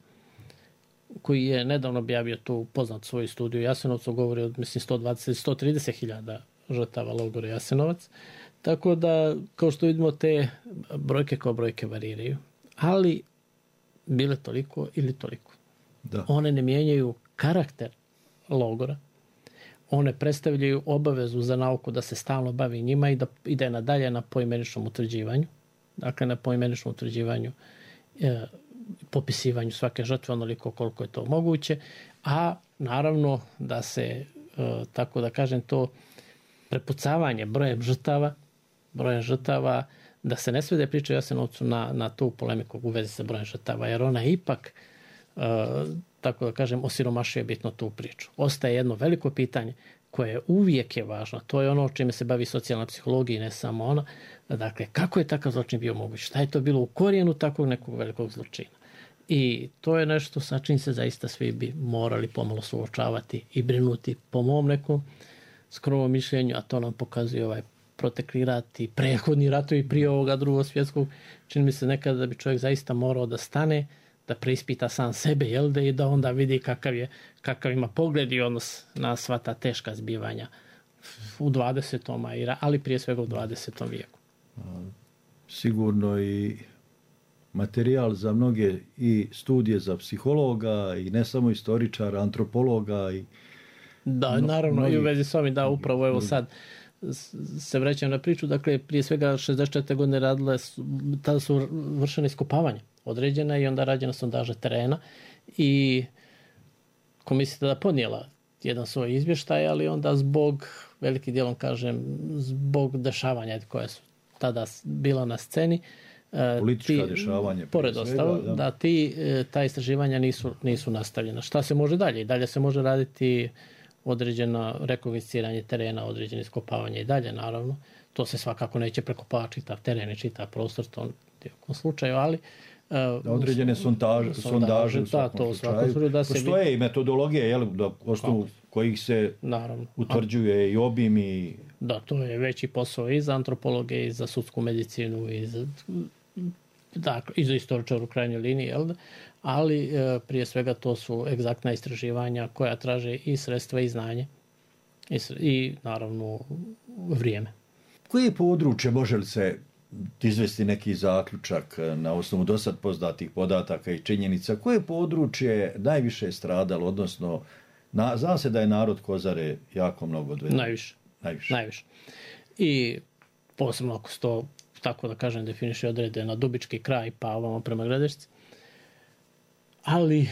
koji je nedavno objavio tu poznat svoju studiju Jasenovcu, govori od, mislim, 130.000 žrtava logora Jasenovac. Tako da, kao što vidimo, te brojke kao brojke variraju. Ali bile toliko ili toliko. Da. One ne mijenjaju karakter logora. One predstavljaju obavezu za nauku da se stalno bavi njima i da ide nadalje na poimeničnom utvrđivanju. Dakle, na poimeničnom utvrđivanju, popisivanju svake žrtve onoliko koliko je to moguće. A naravno da se, tako da kažem, to prepucavanje brojem žrtava, da se ne svede priča o Jasenovcu na tu polemiku u vezi sa brojem žrtava, jer ona ipak, tako da kažem, osiromašuje bitno tu priču. Ostaje jedno veliko pitanje koje uvijek je važno. To je ono o čime se bavi socijalna psihologija i ne samo ona. Dakle, kako je takav zločin bio moguć? Šta je to bilo u korijenu takvog nekog velikog zločina? I to je nešto sa čim se zaista svi bi morali pomalo suočavati i brinuti, po mom nekom skromnom mišljenju, a to nam pokazuje ovaj protekli rat i prethodni ratovi prije ovoga Drugog svjetskog. Čini mi se nekada da bi čovjek zaista morao da stane, da preispita sam sebe, i da onda vidi kakav ima pogled i odnos na sva ta teška zbivanja u 20. ali prije svega u 20. vijeku. Sigurno i materijal za mnoge i studije za psihologa i ne samo istoričara, antropologa i da, naravno, i u vezi s ovim, da, upravo evo sad se vraćam na priču, dakle, prije svega 64. godine tada su vršene iskopavanja određena i onda rađena sondaža terena i komisija tada podnijela jedan svoj izvještaj, ali onda zbog, velikim dijelom kažem, zbog dešavanja koja su tada bila na sceni, politička dešavanja, pored ostalo, da ta istraživanja nisu nastavljena. Šta se može dalje? I dalje se može raditi određeno rekognosciranje terena, određene iskopavanje i dalje, naravno. To se svakako neće prekopavati čitav teren i čitav prostor, to je u slučaju, ali određene sondaže u svakom slučaju. Postoje i metodologije, na osnovu kojih se utvrđuje i obim i... Da, to je veći posao i za antropologe, i za sudsku medicinu, i za istoričar u krajnjoj liniji, ali prije svega to su egzaktna istraživanja koja traže i sredstva i znanje i naravno vrijeme. Koje područje, može li se izvesti neki zaključak na osnovu dosad poznatih podataka i činjenica, koje područje najviše stradalo, odnosno zna se da je narod Kozare jako mnogo odveden? Najviše. I posebno ako se to, tako da kažem, definiše odrede na Dubički kraj pa ovamo prema Gradišci. Ali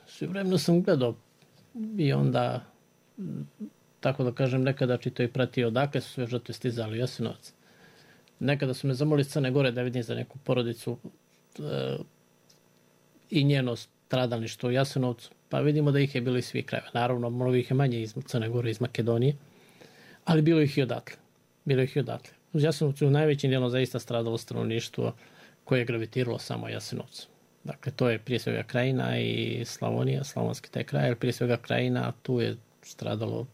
sve vremeno sam gledao i onda tako da kažem, nekada čito i pratio odakle su sve žrtve stizali u Jasenovac. Nekada su me zamolili iz Crne Gore da vidim za neku porodicu i njeno stradalništvo u Jasenovcu, pa vidimo da ih je bilo iz svih krajeva. Naravno, mnogo ih je manje iz Crne Gore, iz Makedonije, ali bilo ih i odatle. Uz Jasenovcu u najvećim dijelom zaista stradalo stanovništvo koje je gravitiralo samo Jasenovcu. Dakle, to je prije svega Krajina i Slavonija, slavonski taj kraj, ali prije svega Krajina, a tu je stradalo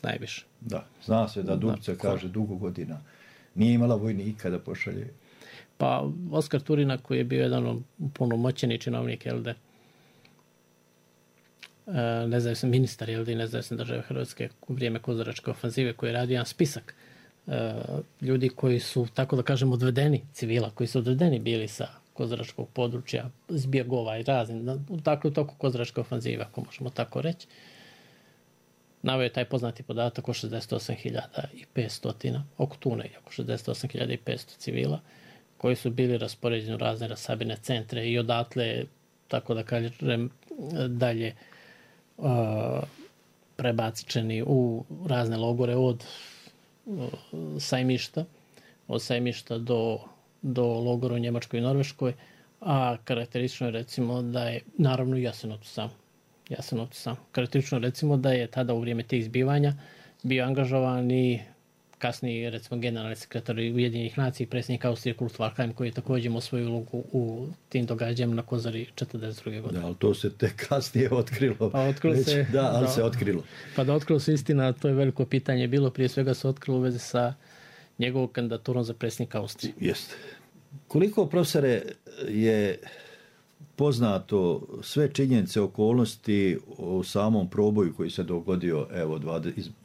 najviše. Da, zna se da Dubica kaže dugo godina nije imala vojnika da pošalje. Pa Oskar Turina, koji je bio jedan punomoćeni činovnik LD, nezavisni ministar LD, nezavisne države Hrvatske u vrijeme Kozaračke ofanzive, koji je radio jedan spisak ljudi koji su, tako da kažem, odvedeni, civila, koji su odvedeni bili sa Kozaračkog područja, zbjegova i razni, dakle u toku Kozaračke ofanzive, ako možemo tako reći. Naveo je taj poznati podatak o 68.500, oko tu negdje, oko 68.500 civila, koji su bili raspoređeni u razne rasabirne centre i odatle, tako da kažem, dalje prebačeni u razne logore od Sajmišta do logora u Njemačkoj i Norveškoj, a karakteristično je recimo da je, naravno i Jasenovcu sam. Karakteristično recimo da je tada u vrijeme tih izbivanja bio angažovan i kasniji recimo generalni sekretar Ujedinjenih nacija i predsjednik Austrije Kurt Waldheim, koji je također imao svoju ulogu u tim događanjima na Kozari 42. godine. Da, ali to se tek kasnije otkrilo. Pa otkrilo se. Da, ali se otkrilo. Pa da otkrilo se istina, to je veliko pitanje bilo, prije svega se otkrilo u vezi sa njegovom kandidaturom za predsjednika Austrije. Jeste. Koliko, profesore, je poznato sve činjenice, okolnosti o samom proboju koji se dogodio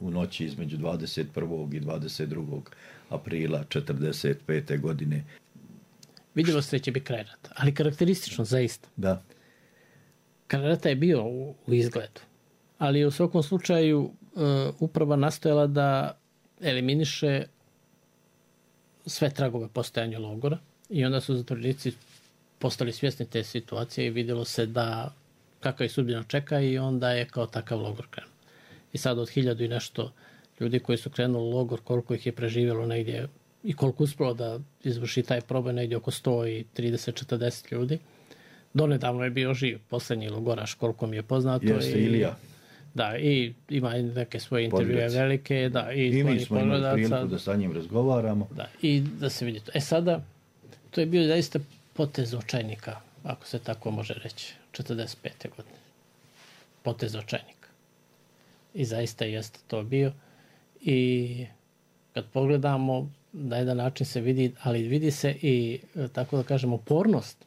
u noći između 21. i 22. aprila 1945. godine? Vidjelo se da će biti kraj rata, ali karakteristično zaista. Da. Kraj rata je bio u izgledu, ali u svakom slučaju uprava nastojala da eliminiše sve tragove postojanja logora i onda su zatvorenici postali svjesni te situacije i vidjelo se da kakva je sudbina čeka i onda je kao takav logor krenuo. I sad od 1000 i nešto ljudi koji su krenuli u logor, koliko ih je preživjelo negdje i koliko uspjelo da izvrši taj proboj, negdje oko 130-40 ljudi. Donedavno je bio živ posljednji logoraš, koliko mi je poznato. Jeste, Ilija. Da, i ima neke svoje intervjue velike. Da, i mi smo imali priliku da sa njim razgovaramo. Da, i da se vidi to. Sada, to je bio zaista potez očajnika, ako se tako može reći, 45. godine. Potez očajnika. I zaista jeste to bio. I kad pogledamo, na jedan način se vidi, ali vidi se i, tako da kažem, upornost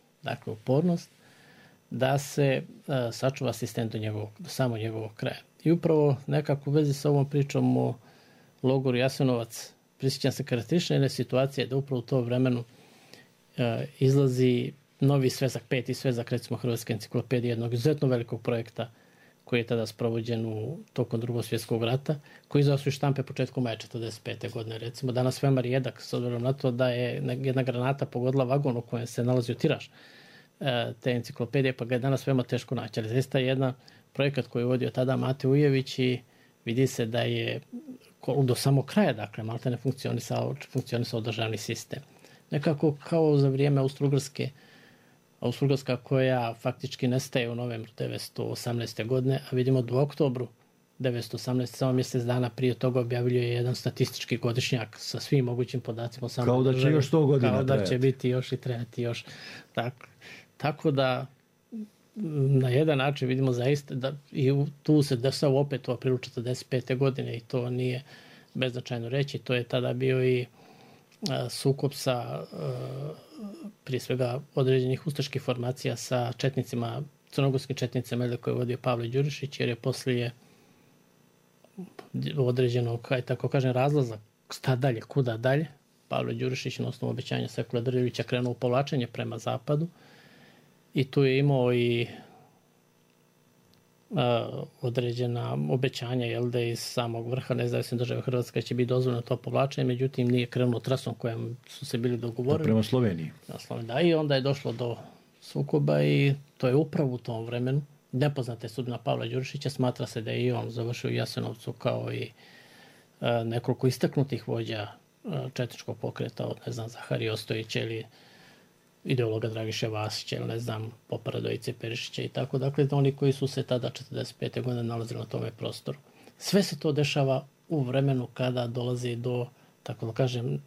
da se sačuva asistent do samo njegovog kraja. I upravo nekako u vezi sa ovom pričom o logoru Jasenovac, prisjećam se karakteristične jedne situacije da upravo u to vremenu izlazi novi svezak, 5. svezak, recimo Hrvatske enciklopedije, jednog izuzetno velikog projekta koji je tada sprovođen tokom Drugog svjetskog rata, koji izdao su i štampe početkom maja 1945. godine. Recimo, danas veoma rijedak, s obzirom na to da je jedna granata pogodila vagon u kojem se nalazio tiraž te enciklopedije, pa ga je danas veoma teško naći. Ali zaista je jedan projekat koji je vodio tada Mate Ujević i vidi se da je do samog kraja, dakle, malte ne funkcionisao državni sistem. Nekako kao za vrijeme Austro-Ugarska koja faktički nestaje u novembru 1918. godine, a vidimo da u oktobru 1918. samo mjesec dana prije toga objavljuje jedan statistički godišnjak sa svim mogućim podacima. Kao da će još 100 godina trajati. Kao da će biti još i trajati još. Tako da na jedan način vidimo zaista da i tu se desao opet u aprilu 1945. godine i to nije beznačajno reći. To je tada bio i sukob sa prije svega određenih ustaških formacija sa četnicima, crnogorskim četnicima koje je vodio Pavle Đurišić, jer je poslije određenog, tako kažem, razlaza šta dalje, kuda dalje, Pavle Đurišić na osnovu obećanja Sekula Drljevića krenuo u povlačenje prema zapadu i tu je imao i određena obećanja iz samog vrha nezavisne države Hrvatske će biti dozvoljeno to povlačenje, međutim nije krenulo trasom kojem su se bili dogovorili. Prema Sloveniji. Da, i onda je došlo do sukoba i to je upravo u tom vremenu. Nepoznata je sudbina Pavla Đurišića, smatra se da je i on završio u Jasenovcu kao i nekoliko istaknutih vođa četničkog pokreta, od Zaharija Ostojića ili ideologa Dragiše Vasića ili Popa Radojice Perišića i tako. Dakle, oni koji su se tada 45. godine nalazili na tome prostoru. Sve se to dešava u vremenu kada dolazi do, tako da kažem,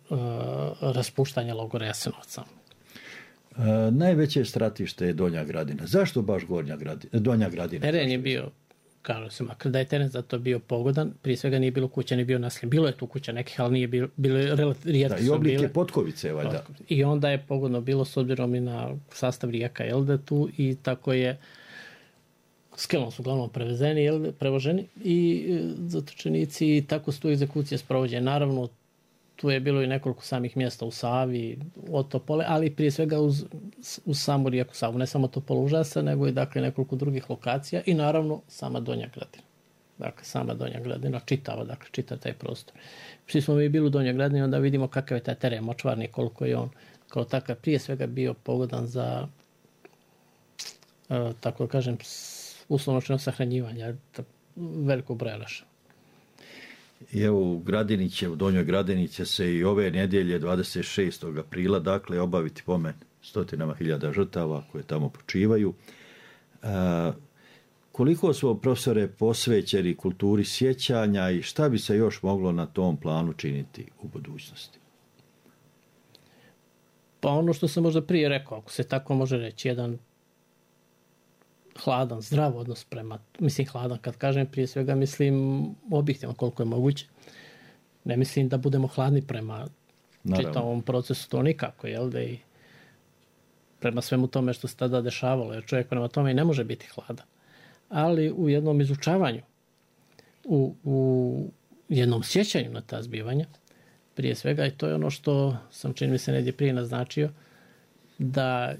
raspuštanja logora Jasenovca. Najveće stratište je Donja Gradina. Zašto baš Donja Gradina? Teren je bio, kažu se, makar da je teren za to bio pogodan, prije svega nije bilo kuća, nije bio naseljen. Bilo je tu kuća nekih, ali nije bilo rijetko. I oblike Potkovice, valjda. I onda je pogodno bilo s obzirom i na sastav rijeka Elde tu i tako je skelom su uglavnom prevoženi i zatočenici i tako su tu egzekucije sprovođene. Naravno, tu je bilo i nekoliko samih mjesta u Savi, od Topole, ali prije svega uz samu rijeku Savu. Ne samo Topola Užasa, nego i dakle nekoliko drugih lokacija i naravno sama Donja Gradina. Dakle, sama Donja Gradina čitav taj prostor. Svi smo mi bili u Donjoj Gradini, onda vidimo kakav je taj teren močvarni, koliko je on kao takav prije svega bio pogodan za, tako da kažem, uslovno sahranjivanja velikog broja naša. I evo u Donjoj Gradini će se i ove nedjelje 26. aprila dakle obaviti pomen stotinama hiljada žrtava koje tamo počivaju. Koliko su profesore posvećeni kulturi sjećanja i šta bi se još moglo na tom planu činiti u budućnosti? Pa ono što sam možda prije rekao, ako se tako može reći, jedan hladan, zdrav odnos prema, mislim hladan kad kažem, prije svega mislim objektivno koliko je moguće. Ne mislim da budemo hladni prema čitavom procesu, to nikako, jel da i prema svemu tome što se tada dešavalo, jer čovjek prema tome i ne može biti hladan. Ali u jednom izučavanju, u jednom sjećanju na ta zbivanja, prije svega, i to je ono što sam čini mi se negdje prije naznačio, da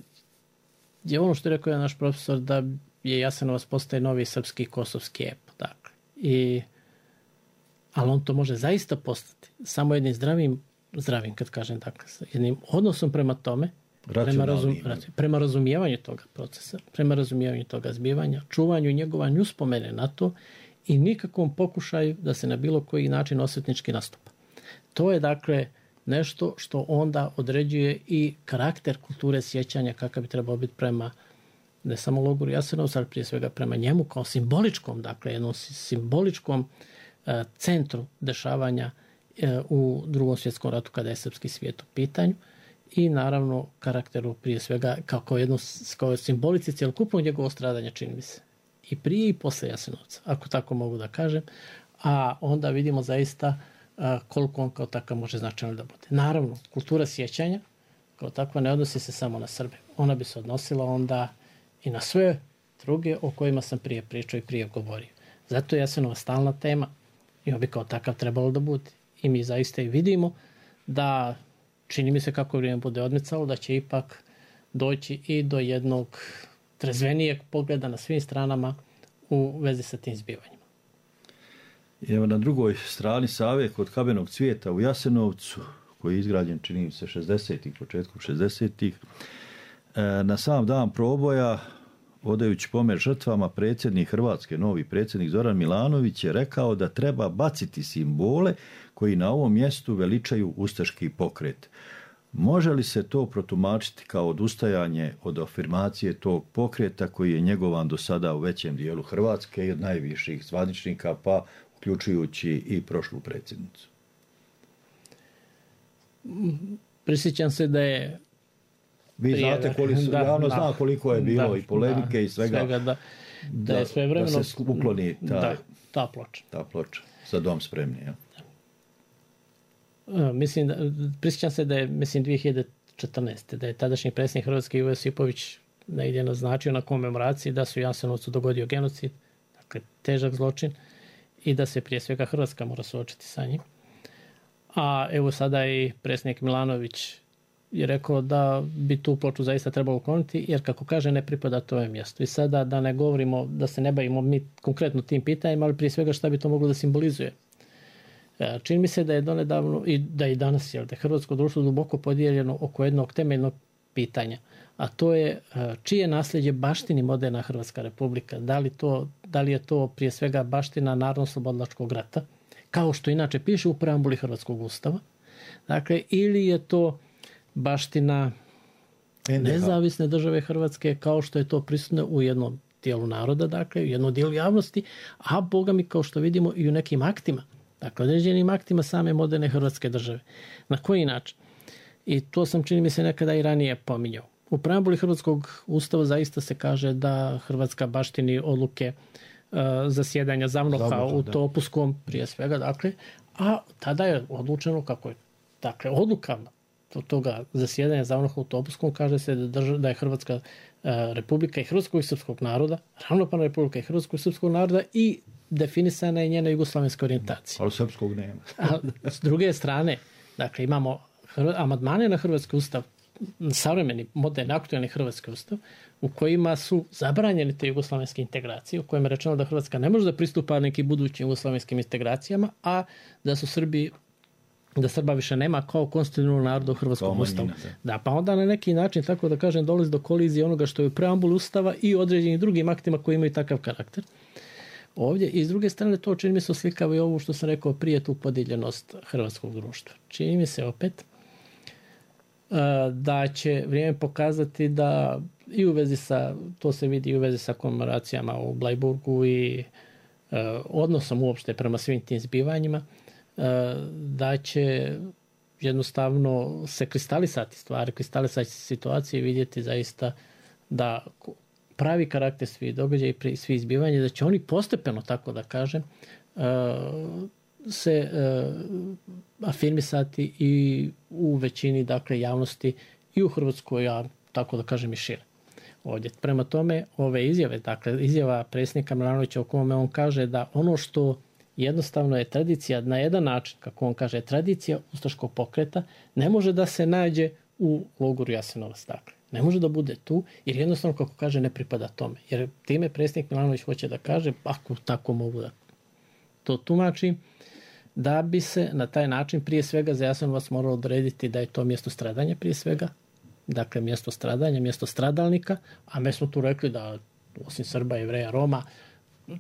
je ono što je rekao naš profesor, da je Jasenovac postaje novi srpski kosovski ep. Dakle. Ali on to može zaista postati samo jednim zdravim kad kažem, dakle, jednim odnosom prema tome, prema razumijevanju toga procesa, prema razumijevanju toga zbivanja, čuvanju i njegovanju uspomene na to i nikakvom pokušaju da se na bilo koji način osvetnički nastupa. To je dakle nešto što onda određuje i karakter kulture sjećanja kakav bi trebao biti prema ne samo logoru Jasenovca, ali prije svega prema njemu kao simboličkom, dakle jednom simboličkom centru dešavanja u Drugom svjetskom ratu kada je srpski svijet u pitanju i naravno karakteru prije svega kao simbolici cjelokupnog njegovog stradanja, čini mi se. I prije i posle Jasenovca, ako tako mogu da kažem, a onda vidimo zaista koliko on kao takav može značajno da bude. Naravno, kultura sjećanja kao takva ne odnosi se samo na Srbe. Ona bi se odnosila onda i na sve druge o kojima sam prije pričao i prije govorio. Zato je Jasenova stalna tema i on bi kao takav trebalo da bude. I mi zaista i vidimo da čini mi se kako vrijeme bude odmicalo, da će ipak doći i do jednog trezvenijeg pogleda na svim stranama u vezi sa tim zbivanjima. Evo na drugoj strani Save kod Kamenog cvijeta u Jasenovcu, koji je izgrađen, čini se, 60-ih, početkom 60-ih, na sam dan proboja, odajući pomen žrtvama, predsjednik Hrvatske, novi predsjednik Zoran Milanović je rekao da treba baciti simbole koji na ovom mjestu veličaju ustaški pokret. Može li se to protumačiti kao odustajanje od afirmacije tog pokreta koji je njegovan do sada u većem dijelu Hrvatske i od najviših zvaničnika, pa uključujući i prošlu predsjednicu? Prisjećam se da je vi znate javno zna koliko je bilo i polemike i svega da je svevremeno da se ukloni ta ploča. Ta ploča za dom spremni. Ja? Prisjećam se da je 2014. da je tadašnji predsjednik Hrvatske Ivo Josipović negdje naznačio na komemoraciji da se u Jasenovcu dogodio genocid, dakle težak zločin i da se prije svega Hrvatska mora suočiti sa njim. A evo sada i predsjednik Milanović je rekao da bi tu ploču zaista trebalo ukloniti, jer kako kaže ne pripada to ovom mjestu. I sada da ne govorimo, da se ne bavimo mi konkretno tim pitanjima, ali prije svega šta bi to moglo da simbolizuje. Čini mi se da je donedavno i da i danas da je hrvatsko društvo duboko podijeljeno oko jednog temeljnog pitanja, a to je čije nasljeđe baštini moderna Hrvatska republika. Da li je to prije svega baština Narodno-slobodilačkog rata kao što inače piše u preambuli Hrvatskog ustava. Dakle, ili je to baština nezavisne države Hrvatske, kao što je to prisutno u jednom dijelu naroda, dakle, u jednom dijelu javnosti, a boga mi, kao što vidimo, i u nekim aktima, dakle, određenim aktima same moderne Hrvatske države. Na koji način? I to sam, čini mi se, nekada i ranije pominjao. U preambuli Hrvatskog ustava zaista se kaže da Hrvatska baštini odluke zasjedanja ZAVNOH-a u Topuskom, prije svega, dakle, a tada je odlučeno kako je, dakle, odlukama toga zasjedanja ZAVNOH-a u Topuskom kaže se da je Hrvatska republika i hrvatskog i srpskog naroda, ravnopravna republika i hrvatskog i srpskog naroda i definisana je njena jugoslavenska orijentacija. Ali srpskog nema. A s druge strane, dakle, imamo amandmane na Hrvatski ustav, savremeni, moderni, aktualni Hrvatski ustav, u kojima su zabranjene te jugoslavenske integracije, u kojima je rečeno da Hrvatska ne može da pristupa nekim budućim jugoslavenskim integracijama, a da su da Srba više nema kao konstitutivnog naroda u Hrvatskom ustavu. Da, pa onda na neki način, tako da kažem, dolazi do kolizije onoga što je u preambuli ustava i određenim drugim aktima koji imaju takav karakter. Ovdje, i s druge strane, to čini mi se oslikava i ovo što sam rekao prije, tu podijeljenost hrvatskog društva. Čini mi se opet da će vrijeme pokazati da i u vezi sa, to se vidi i u vezi sa komemoracijama u Blajburgu i odnosom uopšte prema svim tim zbivanjima, da će jednostavno se kristalisati stvari, kristalisati situacije i vidjeti zaista da pravi karakter svih događaja i svih zbivanja, da će oni postepeno, tako da kažem, se afirmisati i u većini, dakle, javnosti i u Hrvatskoj, a tako da kažem i šire. Ovdje. Prema tome, ove izjave, dakle, izjava predsjednika Milanovića u kome on kaže da ono što jednostavno je tradicija na jedan način, kako on kaže, tradicija ustaškog pokreta, ne može da se nađe u logoru Jasenovac. Dakle, ne može da bude tu, jer jednostavno, kako kaže, ne pripada tome. Jer time predsjednik Milanović hoće da kaže, ako tako mogu da to tumačim, da bi se na taj način prije svega za Jasenovac moralo odrediti da je to mjesto stradanja prije svega, dakle mjesto stradanja, mjesto stradalnika, a mi smo tu rekli da osim Srba, Jevreja, Roma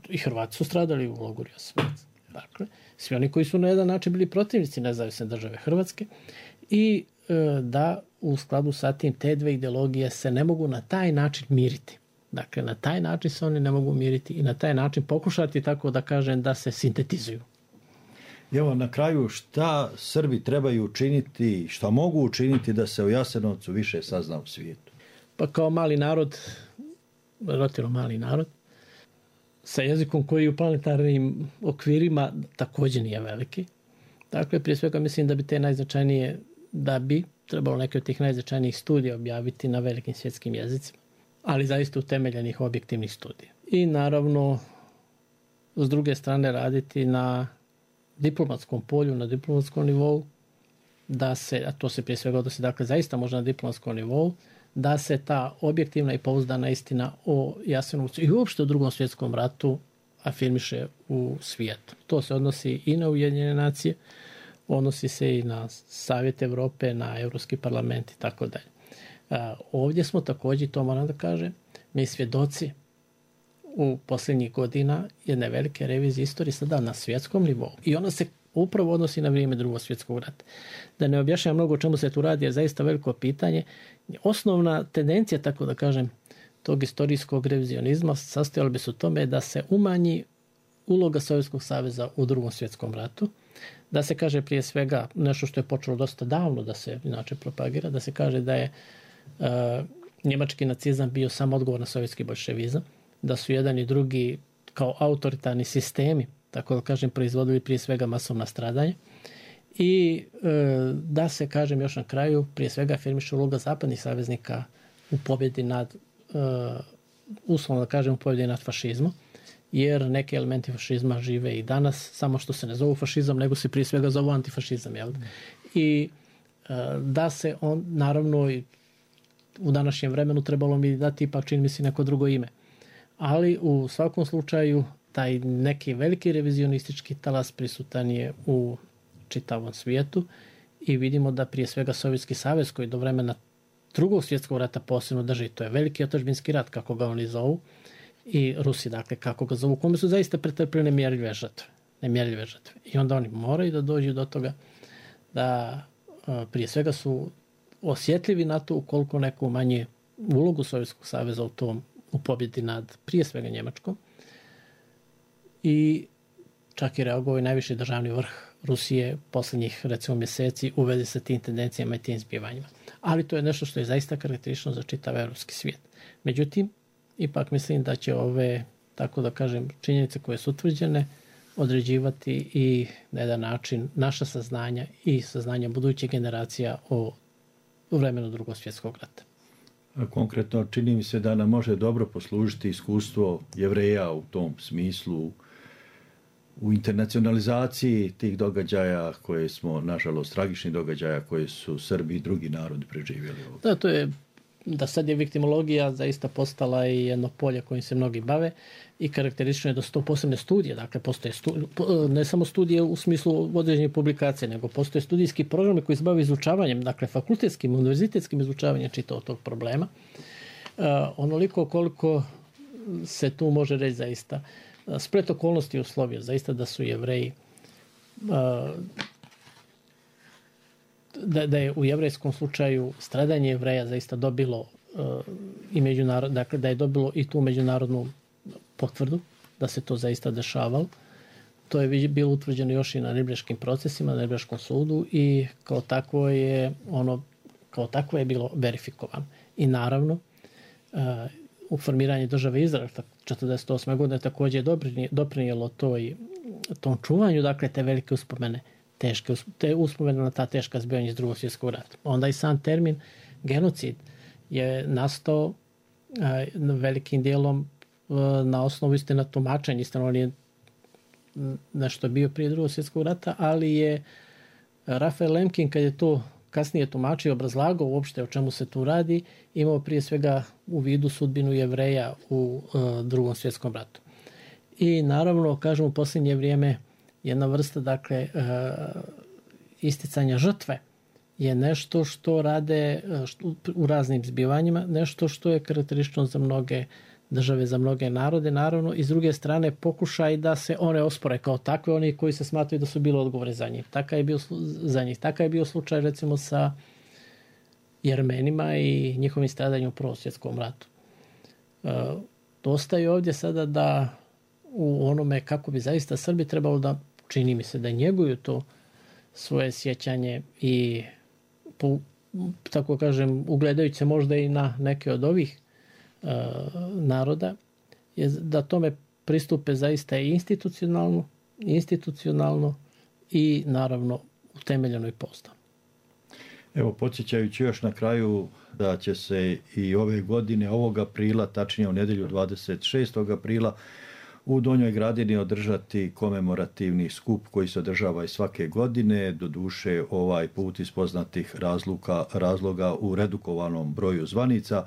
i Hrvati su stradali u logoru Jasenovac. Dakle, svi oni koji su na jedan način bili protivnici nezavisne države Hrvatske i da u skladu sa tim te dve ideologije se ne mogu na taj način miriti. Dakle, na taj način se oni ne mogu miriti i na taj način pokušati, tako da kažem, da se sintetizuju. Evo, na kraju, šta Srbi trebaju učiniti, šta mogu učiniti da se o Jasenovcu više sazna u svijetu? Pa kao mali narod, relativno mali narod, sa jezikom koji u planetarnim okvirima također nije veliki. Dakle, prije svega mislim da bi te najznačajnije, da bi trebalo neke od tih najznačajnijih studija objaviti na velikim svjetskim jezicima, ali zaista utemeljenih objektivnih studija. I naravno, s druge strane, raditi na diplomatskom polju, na diplomatskom nivou, da se, a to se prije svega odnosi, dakle, zaista možda na diplomatskom nivou, da se ta objektivna i pouzdana istina o Jasenovcu i uopšte o Drugom svjetskom ratu afirmiše u svijetu. To se odnosi i na Ujedinjene nacije, odnosi se i na Savjet Evrope, na Europski parlament i tako dalje. Ovdje smo također, to moram da kažem, mi svjedoci u posljednjih godina jedne velike revizije istorije sada na svjetskom nivou. I ona se upravo odnosi na vrijeme Drugog svjetskog rata. Da ne objašnjam mnogo o čemu se tu radi, je zaista veliko pitanje. Osnovna tendencija, tako da kažem, tog istorijskog revizionizma sastojala bi se u tome da se umanji uloga Sovjetskog saveza u Drugom svjetskom ratu, da se kaže prije svega nešto što je počelo dosta davno da se inače propagira, da se kaže da je njemački nacizam bio samo odgovor na sovjetski boljševizam, da su jedan i drugi kao autoritarni sistemi, tako da kažem, proizvodili prije svega masovna stradanja i da se, kažem još na kraju, prije svega afirmiše uloga zapadnih saveznika u pobjedi nad, uslovno da kažem, u pobjedi nad fašizmom, jer neki elementi fašizma žive i danas, samo što se ne zovu fašizam, nego se prije svega zovu antifašizam. Jel? I da se on, naravno, u današnjem vremenu trebalo mi dati ipak, čini mi se, neko drugo ime. Ali u svakom slučaju taj neki veliki revizionistički talas prisutan je u čitavom svijetu i vidimo da prije svega Sovjetski savez, koji do vremena Drugog svjetskog rata posebno drži, to je veliki otadžbinski rat, kako ga oni zovu, i Rusi, dakle, kako ga zovu, kome su zaista pretrpili nemjerljive žrtve. nemjerljive žrtve. I onda oni moraju da dođu do toga da prije svega su osjetljivi na to ukoliko neko manje ulogu Sovjetskog saveza u pobjedi nad prije svega Njemačkom. I čak i reagovao i najviši državni vrh Rusije posljednjih recimo mjeseci u vezi sa tim tendencijama i tim zbivanjima. Ali to je nešto što je zaista karakteristično za čitav evropski svijet. Međutim, ipak mislim da će ove, tako da kažem, činjenice koje su utvrđene određivati i na jedan način naša saznanja i saznanja budućih generacija o vremenu Drugog svjetskog rata. Konkretno, čini mi se da nam može dobro poslužiti iskustvo Jevreja u tom smislu, u internacionalizaciji tih događaja koje smo, nažalost, tragičnih događaja koje su Srbi i drugi narodi preživjeli ovdje. Da, to je, da sad je viktimologija zaista postala i jedno polje kojim se mnogi bave i karakteristično je da su to posebne studije. Dakle, postoje ne samo studije u smislu određenih publikacija, nego postoje studijski programi koji se bave izučavanjem, dakle, fakultetskim, univerzitetskim izučavanjem čitavog tog problema. Onoliko koliko se tu može reći zaista splet okolnosti uslovio zaista da su Jevreji da je u jevrejskom slučaju stradanje Jevreja zaista dobilo i dakle da je dobilo i tu međunarodnu potvrdu da se to zaista dešavalo. To je bilo utvrđeno još i na Nirnberškim procesima, na Nirnberškom sudu i kao takvo je bilo verifikovano. I naravno u formiranju države Izrael 1948. godine također je doprinijelo tom čuvanju, dakle, te velike uspomene, te uspomene na ta teška zbivanja iz Drugog svjetskog rata. Onda i sam termin genocid je nastao velikim dijelom na osnovu istina tumačenja, istina on je nešto bio prije Drugog svjetskog rata, ali je Rafael Lemkin, kad je to kasnije tumačio i obrazlagao uopšte o čemu se tu radi, imao prije svega u vidu sudbinu Jevreja u Drugom svjetskom ratu. I naravno, kažem, u posljednje vrijeme jedna vrsta, dakle, isticanja žrtve je nešto što rade u raznim zbivanjima, nešto što je karakteristično za mnoge države, za mnoge narode, naravno, i s druge strane pokušaj da se one ospore kao takve, oni koji se smatraju da su bili odgovorni za njih. Takav je bio slučaj recimo sa Jermenima i njihovim stradanjem u Prvom svjetskom ratu. Dosta je ovdje sada da u onome kako bi zaista Srbi trebalo da, čini mi se, da njeguju to svoje sjećanje i tako kažem, ugledajući se možda i na neke od ovih naroda, je da tome pristupe zaista i institucionalno i naravno utemeljeno i pouzdano. Evo, podsjećajući još na kraju da će se i ove godine, ovog aprila, tačnije u nedjelju 26. aprila, u Donjoj Gradini održati komemorativni skup koji se održava i svake godine, doduše ovaj put iz poznatih razloga u redukovanom broju zvanica.